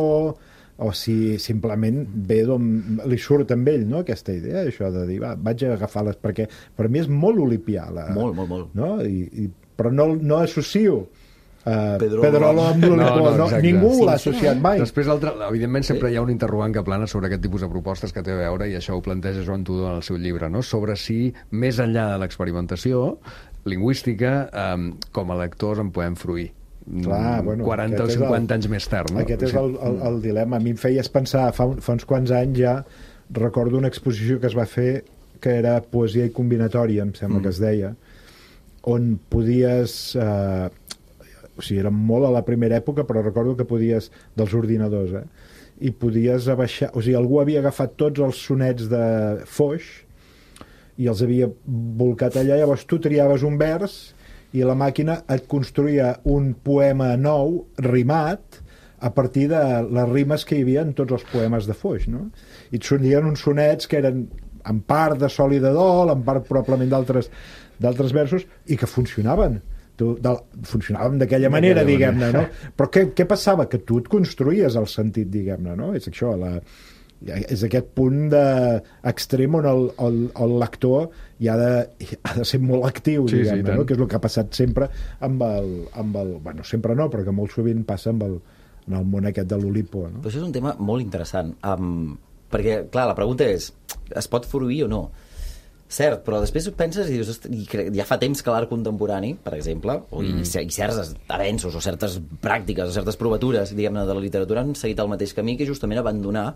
o si simplement ve d'on li surt amb ell, no?, aquesta idea, això de dir, va, vaig a agafar-les, perquè per mi és molt olipià. La, molt, molt, molt. No? I, i, però no, no associo Uh, Pedrolo, Pedrolo amb l'Oulipo, no, no, no, ningú sí, l'ha associat mai. Després, altre, evidentment, sempre hi ha un interrogant que plana sobre aquest tipus de propostes que té a veure, i això ho planteja Joan Tudó en el seu llibre, no? Sobre si, més enllà de l'experimentació lingüística, um, com a lectors en podem fruir. Clar, bueno, quaranta o cinquanta anys més tard, no? Aquest és el, el, el dilema. A mi em feies pensar, fa, un, fa uns quants anys ja, recordo una exposició que es va fer que era poesia i combinatòria, em sembla mm. que es deia, on podies... Eh, o sigui, era molt a la primera època, però recordo que podies, dels ordinadors, eh? I podies abaixar... O sigui, algú havia agafat tots els sonets de Foix i els havia volcat allà, llavors tu triaves un vers i la màquina et construïa un poema nou, rimat, a partir de les rimes que hi havia en tots els poemes de Foix, no? I et sonien uns sonets que eren en part de sol i de dol, en part probablement d'altres d'altres versos, i que funcionaven. Tu, de, funcionàvem d'aquella manera, diguem-ne, no? Però què, què passava? Que tu et construïes el sentit, diguem-ne, no? És això, la, és aquest punt de extrem on el, el, el lector hi ha de, ha de ser molt actiu, sí, diguem-ne, sí, no? Que és el que ha passat sempre amb el, amb el... Bueno, sempre no, però que molt sovint passa amb el, en el món aquest de l'Oulipo, no? Però això és un tema molt interessant, um, perquè, clar, la pregunta és, es pot fruir o no? Cert, però després penses i dius, ja fa temps que l'art contemporani, per exemple, o mm. i, i certs avenços o certes pràctiques o certes provatures, diguem-ne, de la literatura han seguit el mateix camí, que justament abandonar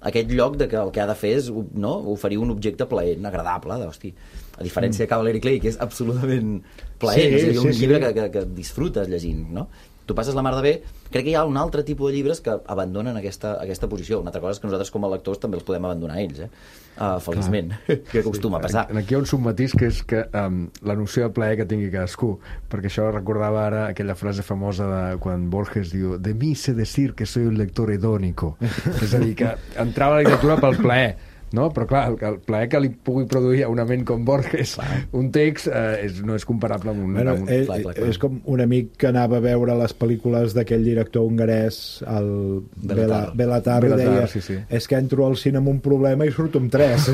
aquest lloc de que el que ha de fer és, no, oferir un objecte plaent, agradable, d'hosti. a diferència mm. de Cavalier Clay, que és absolutament plaent, sí, és dir, un sí, llibre sí. Que, que, que disfrutes llegint, no? Tu passes la mar de bé. Crec que hi ha un altre tipus de llibres que abandonen aquesta, aquesta posició. Una altra cosa és que nosaltres com a lectors també els podem abandonar ells, eh? Uh, feliçment, que acostuma a passar. Aquí hi ha un submatís que és que um, la noció de plaer que tingui cadascú, perquè això recordava ara aquella frase famosa de quan Borges diu de mi sé decir que soy un lector hedónico, és a dir, que entrava a la literatura pel plaer, no? Però clar, el, el plaer que li pugui produir a una ment com Borges un text eh, és, no és comparable amb un... Bueno, amb un... és, clar, clar, clar. És com un amic que anava a veure les pel·lícules d'aquell director hongarès, el Bela, Belatar, i deia, sí, sí. És que entro al cine amb un problema i surto amb tres.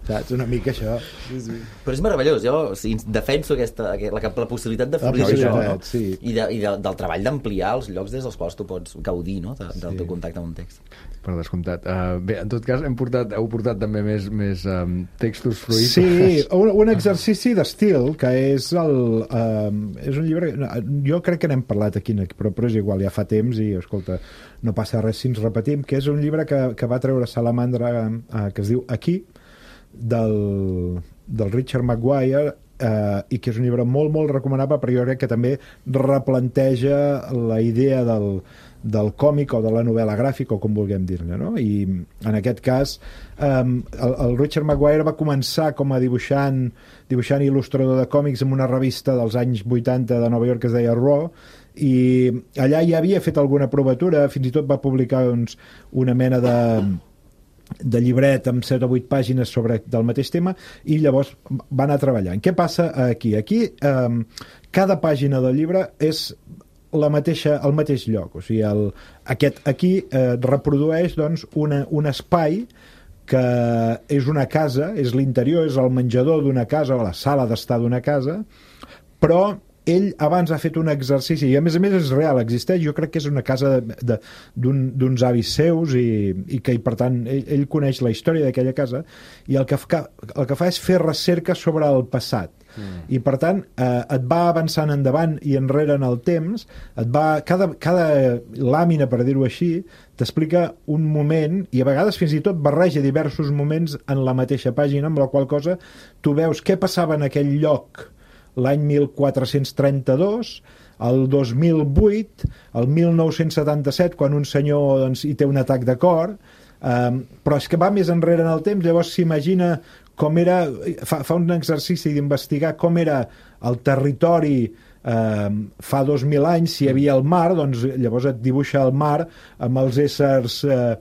Saps? Una mica això. Sí, sí. Però és meravellós, jo o sigui, defenso aquesta, la, la possibilitat de florir això, no? Sí. I, de, i de, del treball d'ampliar els llocs des dels quals tu pots gaudir, no? De, del sí. teu contacte amb un text. Per descomptat. Uh, bé, en tot cas, hem portat, heu portat també més, més um, textos fruits. Sí, un, un exercici d'estil, que és el... Um, és un llibre... Jo crec que n'hem parlat aquí, però, però és igual, ja fa temps i, escolta, no passa res si ens repetim, que és un llibre que, que va treure Salamandra, uh, que es diu Aquí, del, del Richard Maguire, eh, i que és un llibre molt, molt recomanable, però jo crec que també replanteja la idea del, del còmic o de la novel·la gràfica, o com vulguem dir-ne, no? I en aquest cas eh, el, el Richard Maguire va començar com a dibuixant dibuixant i il·lustrador de còmics en una revista dels anys vuitanta de Nova York que es deia Raw, i allà ja havia fet alguna provatura, fins i tot va publicar doncs, una mena de de llibret amb set o vuit pàgines sobre del mateix tema, i llavors va anar treballant. Què passa aquí? Aquí eh, cada pàgina del llibre és la mateixa, el mateix lloc, o sigui, el, aquest aquí eh, reprodueix doncs, una, un espai que és una casa, és l'interior, és el menjador d'una casa o la sala d'estar d'una casa, però ell abans ha fet un exercici, i a més a més és real, existeix, jo crec que és una casa d'uns avis seus, i, i que i per tant ell, ell coneix la història d'aquella casa, i el que, fa, el que fa és fer recerca sobre el passat. Mm. I per tant eh, et va avançant endavant i enrere en el temps, et va, cada, cada làmina, per dir-ho així, t'explica un moment, i a vegades fins i tot barreja diversos moments en la mateixa pàgina, amb la qual cosa tu veus què passava en aquell lloc l'any mil quatre-cents trenta-dos, el dos mil vuit, el mil nou-cents setanta-set, quan un senyor doncs, hi té un atac de cor, um, però és que va més enrere en el temps, llavors s'imagina com era, fa, fa un exercici d'investigar com era el territori um, fa dos mil anys, si hi havia el mar, doncs llavors et dibuixa el mar amb els éssers uh,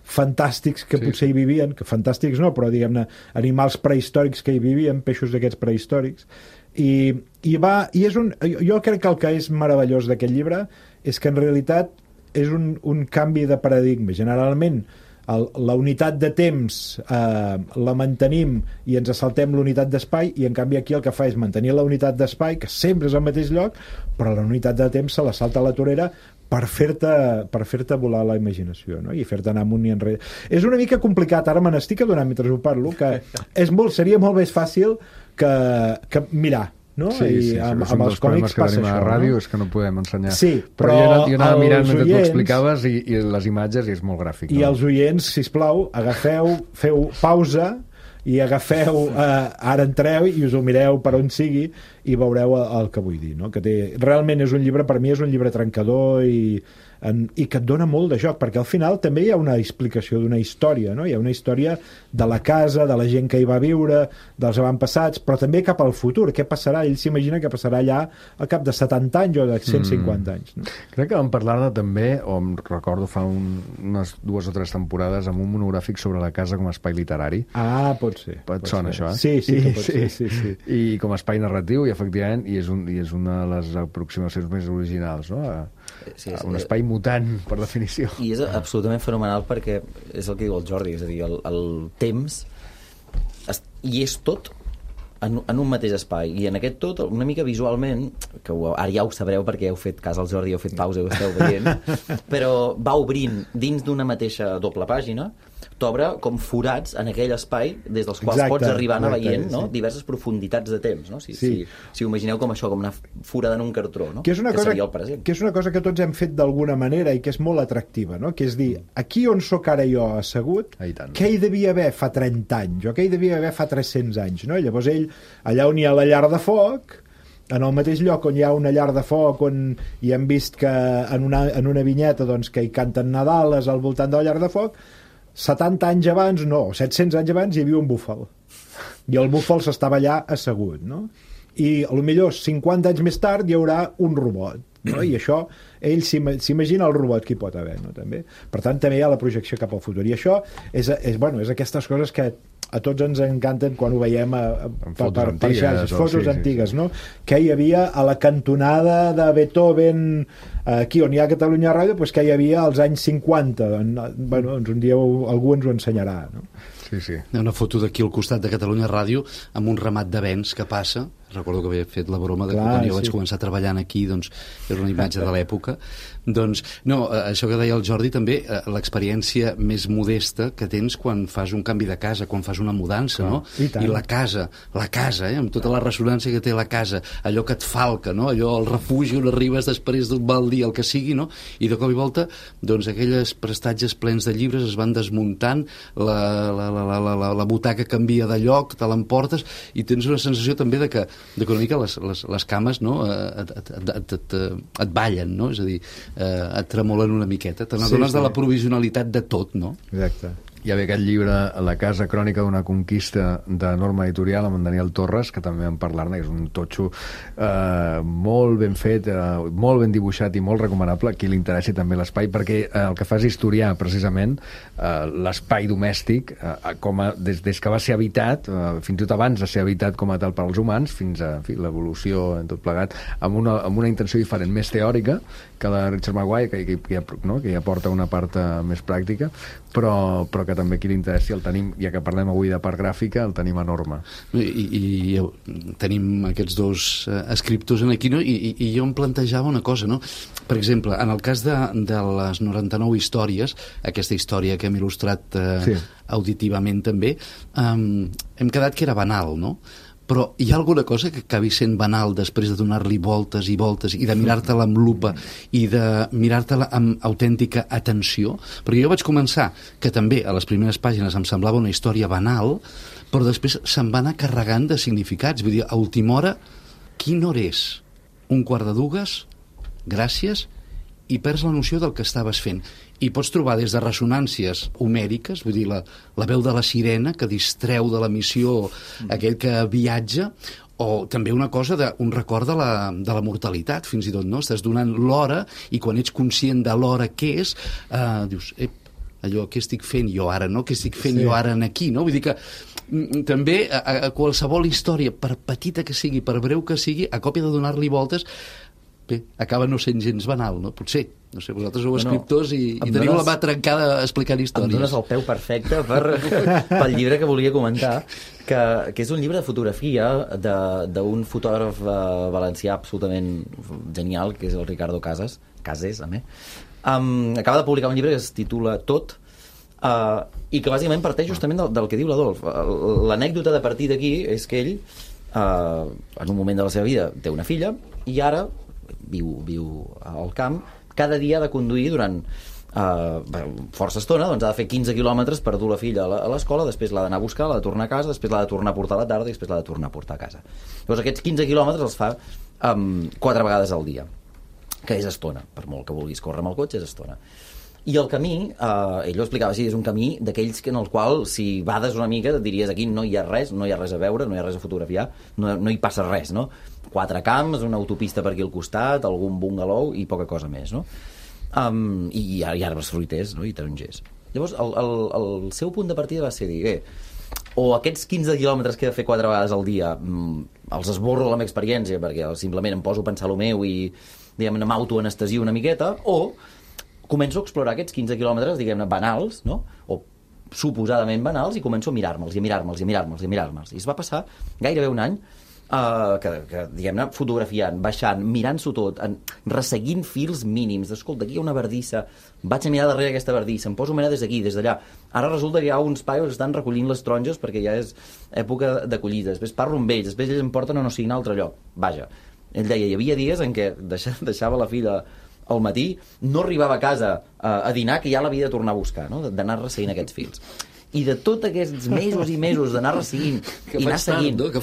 fantàstics que sí, potser hi vivien, que fantàstics no, però diguem-ne animals prehistòrics que hi vivien, peixos d'aquests prehistòrics. I, i, va, i és un, jo crec que el que és meravellós d'aquest llibre és que en realitat és un, un canvi de paradigma. Generalment el, la unitat de temps eh, la mantenim i ens assaltem l'unitat d'espai, i en canvi aquí el que fa és mantenir la unitat d'espai, que sempre és al mateix lloc, però la unitat de temps se la salta a la torera per fer-te per fer-te volar la imaginació, no? I fer-te anar amunt i enrere. És una mica complicat, ara me n'estic adonant mentre ho parlo, que és molt, seria molt més fàcil que, que mirar, no? Sí, I sí, amb, amb els còmics passa això, a la ràdio, no? És que no podem ensenyar. Sí, però, però jo, anava, jo anava mirant mentre tu explicaves i, i les imatges, i és molt gràfic. I no? els oients, sisplau, agafeu, feu pausa i agafeu, eh, ara entreu i us ho mireu per on sigui i veureu el, el que vull dir, no? Que té, realment és un llibre, per mi és un llibre trencador i, en, i que et dona molt de joc, perquè al final també hi ha una explicació d'una història, no? Hi ha una història de la casa, de la gent que hi va viure, dels avantpassats, però també cap al futur. Què passarà? Ell s'imagina que passarà allà al cap de setanta anys o de cent cinquanta mm. anys. No? Crec que vam parlar-ne també, o em recordo fa un, unes dues o tres temporades, amb un monogràfic sobre la casa com a espai literari. Ah, pot ser. Et pot sona ser. això, eh? Sí, sí, que pot sí. ser. Sí, sí. I com a espai narratiu, i efectivament, i és, un, i és una de les aproximacions més originals, no? A, sí, sí, un espai mutant, per definició. I és absolutament fenomenal perquè és el que diu el Jordi, és a dir, el, el temps es, hi és tot en, en un mateix espai, i en aquest tot una mica visualment, que ho, ara ja ho sabreu perquè heu fet cas al Jordi, heu fet pausa i ho esteu veient, però va obrint dins d'una mateixa doble pàgina t'obre com forats en aquell espai des dels quals exacte, pots arribar a anar veient, no? sí. diverses profunditats de temps, no? Si, sí. si, si ho imagineu com això, com anar foradant un cartró, no? Que és una, que cosa, seria el present. que és una cosa que tots hem fet d'alguna manera i que és molt atractiva, no? Que és dir, aquí on sóc ara jo assegut, què hi devia haver fa trenta anys, o què hi devia haver fa tres-cents anys, no? Llavors ell, allà on hi ha la llar de foc, en el mateix lloc on hi ha una llar de foc, on hi hem vist que en una, en una vinyeta doncs, que hi canten Nadales al voltant de la llar de foc, setanta anys abans, no, set-cents anys abans hi havia un búfal. I el búfal s'estava allà assegut, no? I potser cinquanta anys més tard hi haurà un robot, no? I això, ell s'imagina el robot que hi pot haver, no? També. Per tant, també hi ha la projecció cap al futur. I això és, és, bueno, és aquestes coses que a tots ens encanten quan ho veiem a, a, per, per, per xarxes, fotos sí, antigues, sí, sí. no? Que hi havia a la cantonada de Beethoven, aquí on hi ha Catalunya Ràdio, doncs que hi havia als anys cinquanta. Bueno, doncs un dia algú ens ho ensenyarà, no? Sí, sí. Una foto d'aquí al costat de Catalunya Ràdio amb un ramat de vents que passa. Recordo que havia fet la broma de Clar, que quan jo sí. vaig començar treballant aquí, doncs, era una imatge de l'època. Doncs, no, això que deia el Jordi també, l'experiència més modesta que tens quan fas un canvi de casa, quan fas una mudança, Clar, no? I, I la casa, la casa, eh, amb tota la ressonància que té la casa, allò que et falca, no? Allò, el refugi on arribes després d'un mal dia, el que sigui, no? I de cop i volta, doncs, aquelles prestatges plens de llibres es van desmuntant, la, la, la, la, la, la butaca canvia de lloc, te l'emportes, i tens una sensació també de que de que una mica les, les, les cames, no? et, et, et, et, et, et ballen, no? És a dir, eh, et tremolen una miqueta, te n'adones sí, sí. de la provisionalitat de tot, no? Exacte. Hi havia aquest llibre, La casa crònica d'una conquista, de Norma Editorial, amb en Daniel Torres, que també vam parlar-ne, que és un totxo eh, molt ben fet, eh, molt ben dibuixat i molt recomanable, a qui li interessi també l'espai, perquè eh, el que fa és historiar precisament eh, l'espai domèstic, eh, com a, des, des que va ser habitat, eh, fins i tot abans de ser habitat com a tal per als humans, fins a en fi, l'evolució en tot plegat, amb una, amb una intenció diferent, més teòrica que la de Richard Maguire, que, que, que, ja, no? que ja porta una part eh, més pràctica, però, però que també qui li interessi el tenim, ja que parlem avui de part gràfica, el tenim enorme. I, i, i tenim aquests dos uh, escriptors en aquí, no? I, i, i jo em plantejava una cosa, no? Per exemple, en el cas de, de les noranta-nou històries, aquesta història que hem il·lustrat uh, sí. auditivament també, um, hem quedat que era banal, no? Però hi ha alguna cosa que acabi sent banal després de donar-li voltes i voltes i de mirar-te-la amb lupa i de mirar-te-la amb autèntica atenció? Perquè jo vaig començar, que també a les primeres pàgines em semblava una història banal, però després se'n va anar carregant de significats. Vull dir, a última hora, quina hora és? Un quart de dues? Gràcies? I perds la noció del que estaves fent. I pots trobar des de ressonàncies homèriques, vull dir, la, la veu de la sirena que distreu de la missió aquell que viatja, o també una cosa, de, un record de la, de la mortalitat, fins i tot, no? Estàs donant l'hora i quan ets conscient de l'hora que és, eh, dius, ep, allò, què estic fent jo ara, no? Què estic fent sí. jo ara aquí, no? Vull dir que mm, també a, a qualsevol història, per petita que sigui, per breu que sigui, a còpia de donar-li voltes, bé, acaba no sent gens banal, no? Potser. No sé, vosaltres sou escriptors i, i teniu dones, la mà trencada explicant històries. Em dones el peu perfecte per, pel llibre que volia comentar, que, que és un llibre de fotografia d'un fotògraf uh, valencià absolutament genial, que és el Ricardo Casas, Cases, a mi. Um, acaba de publicar un llibre que es titula Tot, uh, i que bàsicament parteix justament del, del que diu l'Adolf. L'anècdota de partir d'aquí és que ell, uh, en un moment de la seva vida, té una filla, i ara viu, viu al camp, cada dia ha de conduir durant uh, força estona, doncs ha de fer quinze quilòmetres per dur la filla a l'escola, després l'ha d'anar a buscar, l'ha de tornar a casa, després l'ha de tornar a portar a la tarda i després l'ha de tornar a portar a casa. Llavors aquests quinze quilòmetres els fa um, quatre vegades al dia, que és estona, per molt que vulguis córrer amb el cotxe és estona. I el camí, eh, ell ho explicava així, és un camí d'aquells en el qual si bades una mica et diries aquí no hi ha res, no hi ha res a veure, no hi ha res a fotografiar, no, no hi passa res, no? Quatre camps, una autopista per aquí al costat, algun bungalow i poca cosa més, no? Um, i, i arbres fruiters, no? I tarongers. Llavors el, el, el seu punt de partida va ser dir, bé, o aquests quinze quilòmetres que he de fer quatre vegades al dia mm, els esborro la meva experiència perquè simplement em poso a pensar el meu i diguem, m'autoanestesio una miqueta, o començo a explorar aquests quinze quilòmetres, diguem-ne, banals, no? O suposadament banals, i començo a mirar-me'ls, i a mirar-me'ls, i a mirar-me'ls, i a mirar-me'ls. I es va passar gairebé un any Uh, que, que diguem-ne, fotografiant, baixant, mirant-s'ho tot, en, resseguint fils mínims. Escolta, aquí hi ha una bardissa, vaig a mirar darrere aquesta bardissa, em poso a mirar des d'aquí, des d'allà. Ara resulta que hi ha uns paios que estan recollint les taronges perquè ja és època de collida. Després parlo amb ells, després ells em porten a no sé quin altre lloc. Vaja, ell deia, hi havia dies en què deixava la filla al matí, no arribava a casa a, a dinar, que ja l'havia de tornar a buscar, no? D'anar resseguint aquests fils. I de tots aquests mesos i mesos d'anar resseguint i anar seguint, no? que,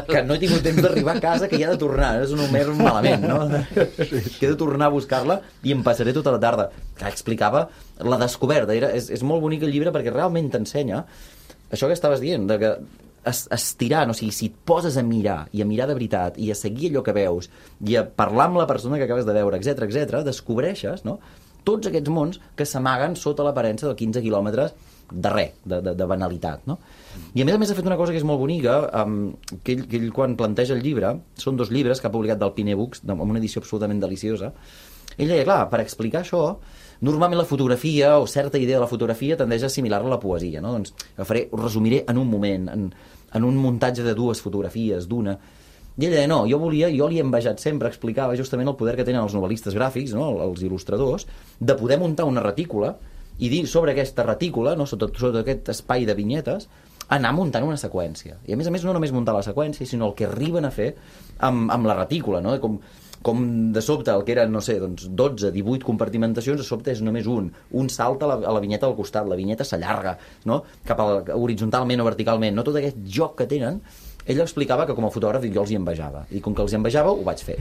que no he tingut temps d'arribar a casa, que hi ha de tornar, és un homer malament, no? Que he de tornar a buscar-la i em passaré tota la tarda. Que explicava la descoberta, era, és, és molt bonic el llibre perquè realment t'ensenya això que estaves dient, de que es, estirant, o sigui, si et poses a mirar i a mirar de veritat i a seguir allò que veus i a parlar amb la persona que acabes de veure, etc etc, descobreixes, no?, tots aquests mons que s'amaguen sota l'aparença de quinze quilòmetres de res, de, de, de banalitat, no? I a més a més ha fet una cosa que és molt bonica, um, que, ell, que ell quan planteja el llibre, són dos llibres que ha publicat del Pine Books, amb una edició absolutament deliciosa. Ell deia, clar, per explicar això, normalment la fotografia o certa idea de la fotografia tendeix a assimilar-la a la poesia, no? Doncs faré, ho resumiré en un moment, en, en un muntatge de dues fotografies, d'una. I ell deia, no, jo volia, jo li he envejat sempre, explicava justament el poder que tenen els novel·listes gràfics, no?, els il·lustradors, de poder muntar una retícula i dir sobre aquesta retícula, no, sota, sota aquest espai de vinyetes, anar muntant una seqüència. I a més a més no només muntar la seqüència, sinó el que arriben a fer amb, amb la retícula, no? Com, com de sobte el que eren, no sé, doncs dotze, divuit compartimentacions, de sobte és només un. Un salta a la, a la vinyeta del costat, la vinyeta s'allarga, no?, cap a la, horitzontalment o verticalment, no? Tot aquest joc que tenen. Ell explicava que com a fotògraf jo els hi envejava, i com que els hi envejava ho vaig fer.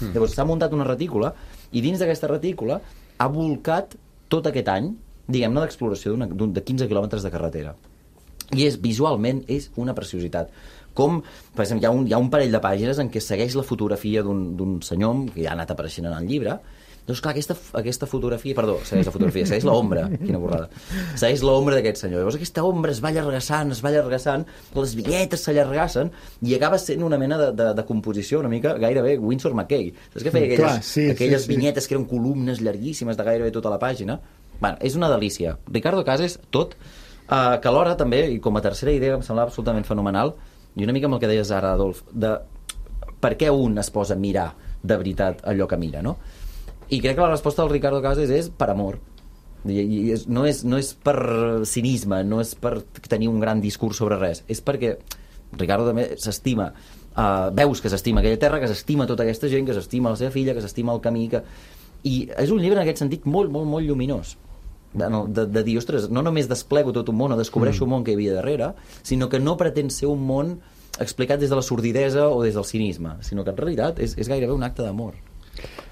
Llavors s'ha muntat una retícula i dins d'aquesta retícula ha volcat tot aquest any, diguem-ne, d'exploració de quinze quilòmetres de carretera. I és, visualment, és una preciositat. Com, per exemple, hi ha un, hi ha un parell de pàgines en què segueix la fotografia d'un senyor, que ja ha anat apareixent en el llibre. Doncs clar, aquesta, aquesta fotografia, perdó, segueix la fotografia, segueix l'ombra, quina borrada, segueix l'ombra d'aquest senyor. Llavors aquesta ombra es va allargassant, es va allargassant, les vinyetes s'allargassen i acaba sent una mena de, de, de composició una mica gairebé Winsor McCay. Saps què feia aquelles, clar, sí, aquelles sí, vinyetes sí. que eren columnes llarguíssimes de gairebé tota la pàgina? Bueno, és una delícia. Ricardo Cases, tot, eh, que alhora també, i com a tercera idea em semblava absolutament fenomenal, i una mica amb el que deies ara, Adolf, de per què un es posa a mirar de veritat allò que mira, no? I crec que la resposta del Ricardo Cases és per amor. I, i és, no, és, no és per cinisme, no és per tenir un gran discurs sobre res, és perquè Ricardo també s'estima, uh, veus que s'estima aquella terra, que s'estima tota aquesta gent, que s'estima la seva filla, que s'estima el camí, que... i és un llibre en aquest sentit molt, molt, molt lluminós. De, de, de dir, ostres, no només desplego tot un món o descobreixo mm. un món que hi havia darrere, sinó que no pretén ser un món explicat des de la sordidesa o des del cinisme, sinó que en realitat és, és gairebé un acte d'amor.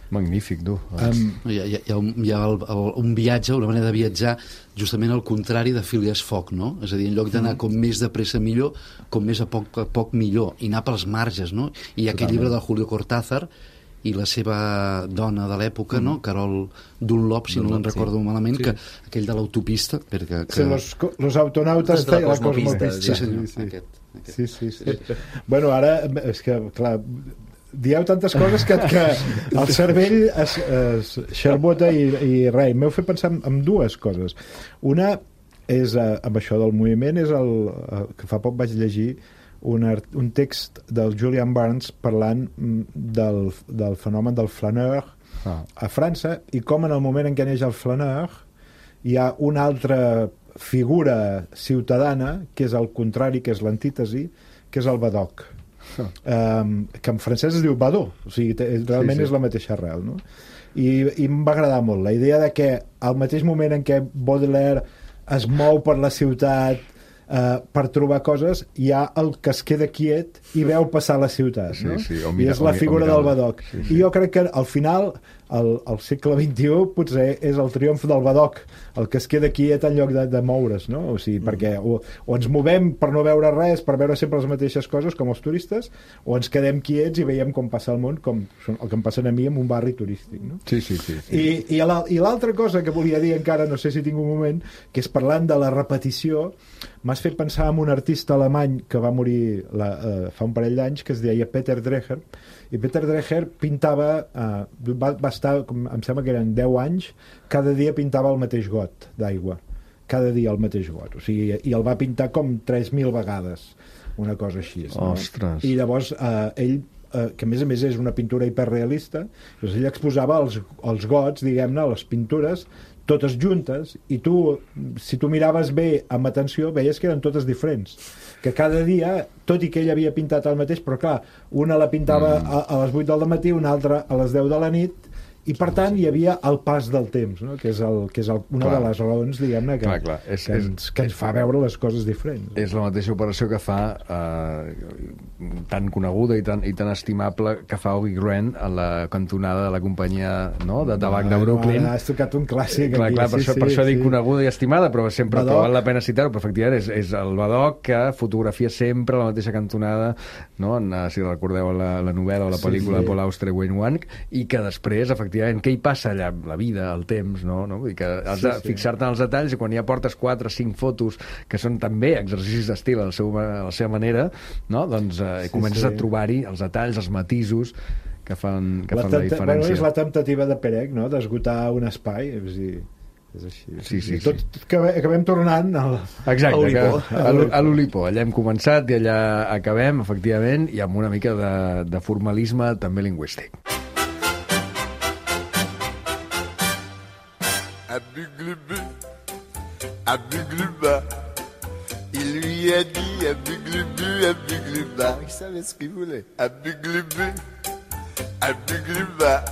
Magnífic, tu. Um, hi ha, hi ha, un, hi ha el, el, un viatge, una manera de viatjar justament al contrari de Phileas Fogg, no? És a dir, en lloc d'anar com més de pressa millor, com més a poc a poc millor, i anar pels marges, no? I hi ha aquest llibre de Julio Cortázar i la seva dona de l'època, mm. no? Carol Dunlop, si Dunlop, no me'n recordo sí. malament, sí. que aquell de l'autopista, perquè... Que... Sí, los, los autonautas de la cosmopista. Sí, senyor, sí. Aquest, aquest. Sí, sí, sí. Bueno, ara, és que, clar... dieu tantes coses que, que el cervell es, es xarbota i, i res, m'heu fet pensar en, en dues coses. Una és, eh, amb això del moviment, és el eh, que fa poc vaig llegir un, art, un text del Julian Barnes parlant del, del fenomen del flaneur ah. a França, i com en el moment en què neix el flaneur hi ha una altra figura ciutadana que és el contrari, que és l'antítesi, que és el badoc. Um, que en francès es diu badó, o sigui, realment sí, sí. és la mateixa arrel, no? I, i em va agradar molt la idea de que al mateix moment en què Baudelaire es mou per la ciutat uh, per trobar coses, hi ha el que es queda quiet i veu passar la ciutat, no? Sí, sí, mira, i és la figura del badoc. Sí, sí. I jo crec que al final el, el segle vint-i-u potser és el triomf del badoc, el que es queda quiet en lloc de, de moure's, no? O sigui, mm. perquè o, o ens movem per no veure res, per veure sempre les mateixes coses com els turistes, o ens quedem quiets i veiem com passa el món, com el que em passa a mi en un barri turístic, no? Sí, sí, sí. sí. I, i l'altra cosa que volia dir encara, no sé si tinc un moment, que és parlant de la repetició, m'has fet pensar en un artista alemany que va morir la, uh, fa un parell d'anys, que es deia Peter Dreher, i Peter Dreher pintava, uh, va, va estar, com, em sembla que eren deu anys, cada dia pintava el mateix got d'aigua, cada dia el mateix got, o sigui, i el va pintar com tres mil vegades. una cosa així. No? Ostres. I llavors eh, ell, eh, que a més a més és una pintura hiperrealista, doncs ell exposava els, els gots, diguem-ne, les pintures, totes juntes, i tu, si tu miraves bé amb atenció, veies que eren totes diferents. Que cada dia, tot i que ell havia pintat el mateix, però clar, una la pintava mm. a, a les vuit del matí, una altra a les deu de la nit, i per tant hi havia el pas del temps, no? que és, el, que és el, una clar. de les raons, diguem-ne, que, clar, clar. És, que, ens, que ens fa veure les coses diferents. És la mateixa operació que fa eh, tan coneguda i tan, i tan estimable que fa Oggy Grant a la cantonada de la companyia, no?, de tabac de Brooklyn. Ah, has tocat un clàssic clar, aquí. clar, per, sí, això, sí, per això sí. dic coneguda i estimada, però sempre Badoc. val la pena citar-ho, però efectivament és, és el Badoc que fotografia sempre la mateixa cantonada, no?, en, si recordeu la, la novel·la o la pel·lícula sí, sí. de Paul Auster i Wayne Wang, i que després, efectivament, què hi passa allà? La vida, el temps, no? no? Vull dir que has de sí, sí. fixar-te en els detalls, i quan ja portes quatre o cinc fotos que són també exercicis d'estil a, a la seva manera, no? doncs eh, sí, comences sí. a trobar-hi els detalls, els matisos que fan, que la, fan la diferència. Bueno, és la temptativa de Perec, no?, d'esgotar un espai, és dir, és així. Sí, sí, tot, sí. tot, acabem tornant al, Exacte, al que, a l'Olipo. Allà hem començat i allà acabem, efectivament, i amb una mica de, de formalisme també lingüístic. À Buglubu, à Bugluba, il lui a dit à Buglubu, à Bugluba, il savait ce qu'il voulait. À Buglubu, à Bugluba,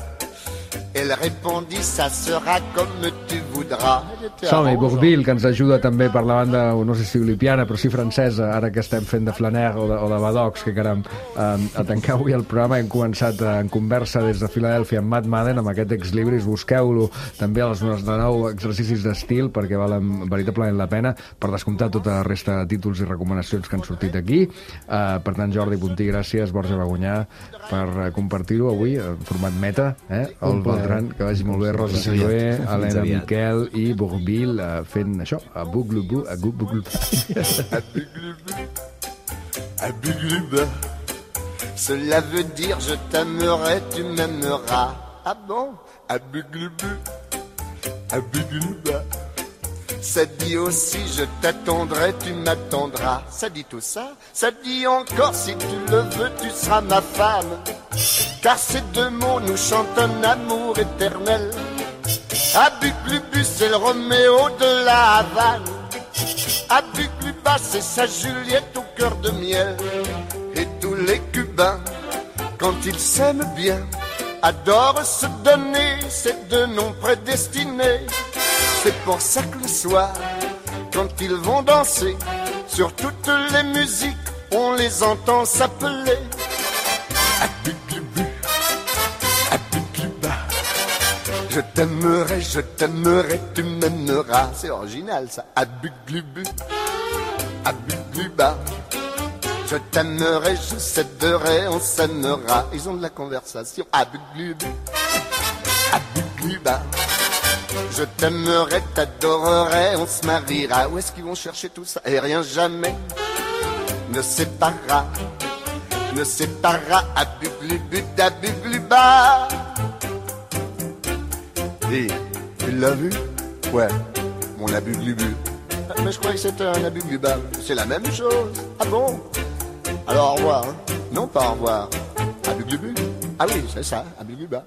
elle répondit, ça sera comme tu voudras. Som-hi, Bourvil, que ens ajuda també per la banda, no sé si olipiana, però sí francesa, ara que estem fent de Flaner o de, o de Badocs, que caram, eh, a tancar avui el programa hem començat en conversa des de Filadèlfia amb Matt Madden, amb aquest ex-libris, busqueu-lo també als noranta-nou exercicis d'estil, perquè valen veritablement la pena, per descomptar tota la resta de títols i recomanacions que han sortit aquí. Eh, per tant, Jordi Puntí, gràcies, Borja Bagunyà, per compartir-ho avui en format meta, eh? El Beltran, que vagi molt bé, Rosa Siloé, Helena Miquel i Bourvil uh, fent això, a Buglubu, a Buglubu. À Buglubu, à Bugluba, cela veut dire je t'aimerai, tu m'aimeras. Ah bon? À Buglubu, à Bugluba, ça dit aussi je t'attendrai, tu m'attendras. Ça dit tout ça, ça dit encore si tu le veux, tu seras ma femme. Car ces deux mots nous chantent un amour éternel. À Buglubu, c'est le Roméo de la Havane. À Bugluba, c'est sa Juliette au cœur de miel. Et tous les Cubains, quand ils s'aiment bien, adorent se donner ces deux noms prédestinés. C'est pour ça que le soir, quand ils vont danser, sur toutes les musiques, on les entend s'appeler. À Buglubu, à Bugluba, je t'aimerai, je t'aimerai, tu m'aimeras. C'est original ça. À Buglubu, à Bugluba, je t'aimerai, je céderai, on s'aimera. Ils ont de la conversation. À Buglubu, à Bugluba, je t'aimerai, t'adorerai, on se mariera. Où est-ce qu'ils vont chercher tout ça? Et rien jamais ne séparera, ne séparera. À Buglubu, à Bugluba. Dis, tu l'as vu? Ouais, mon abuglubu. Mais je croyais que c'était un abugluba. C'est la même chose. Ah bon? Alors au revoir, hein? Non, pas au revoir. Abuglubu? Ah oui, c'est ça, abugluba.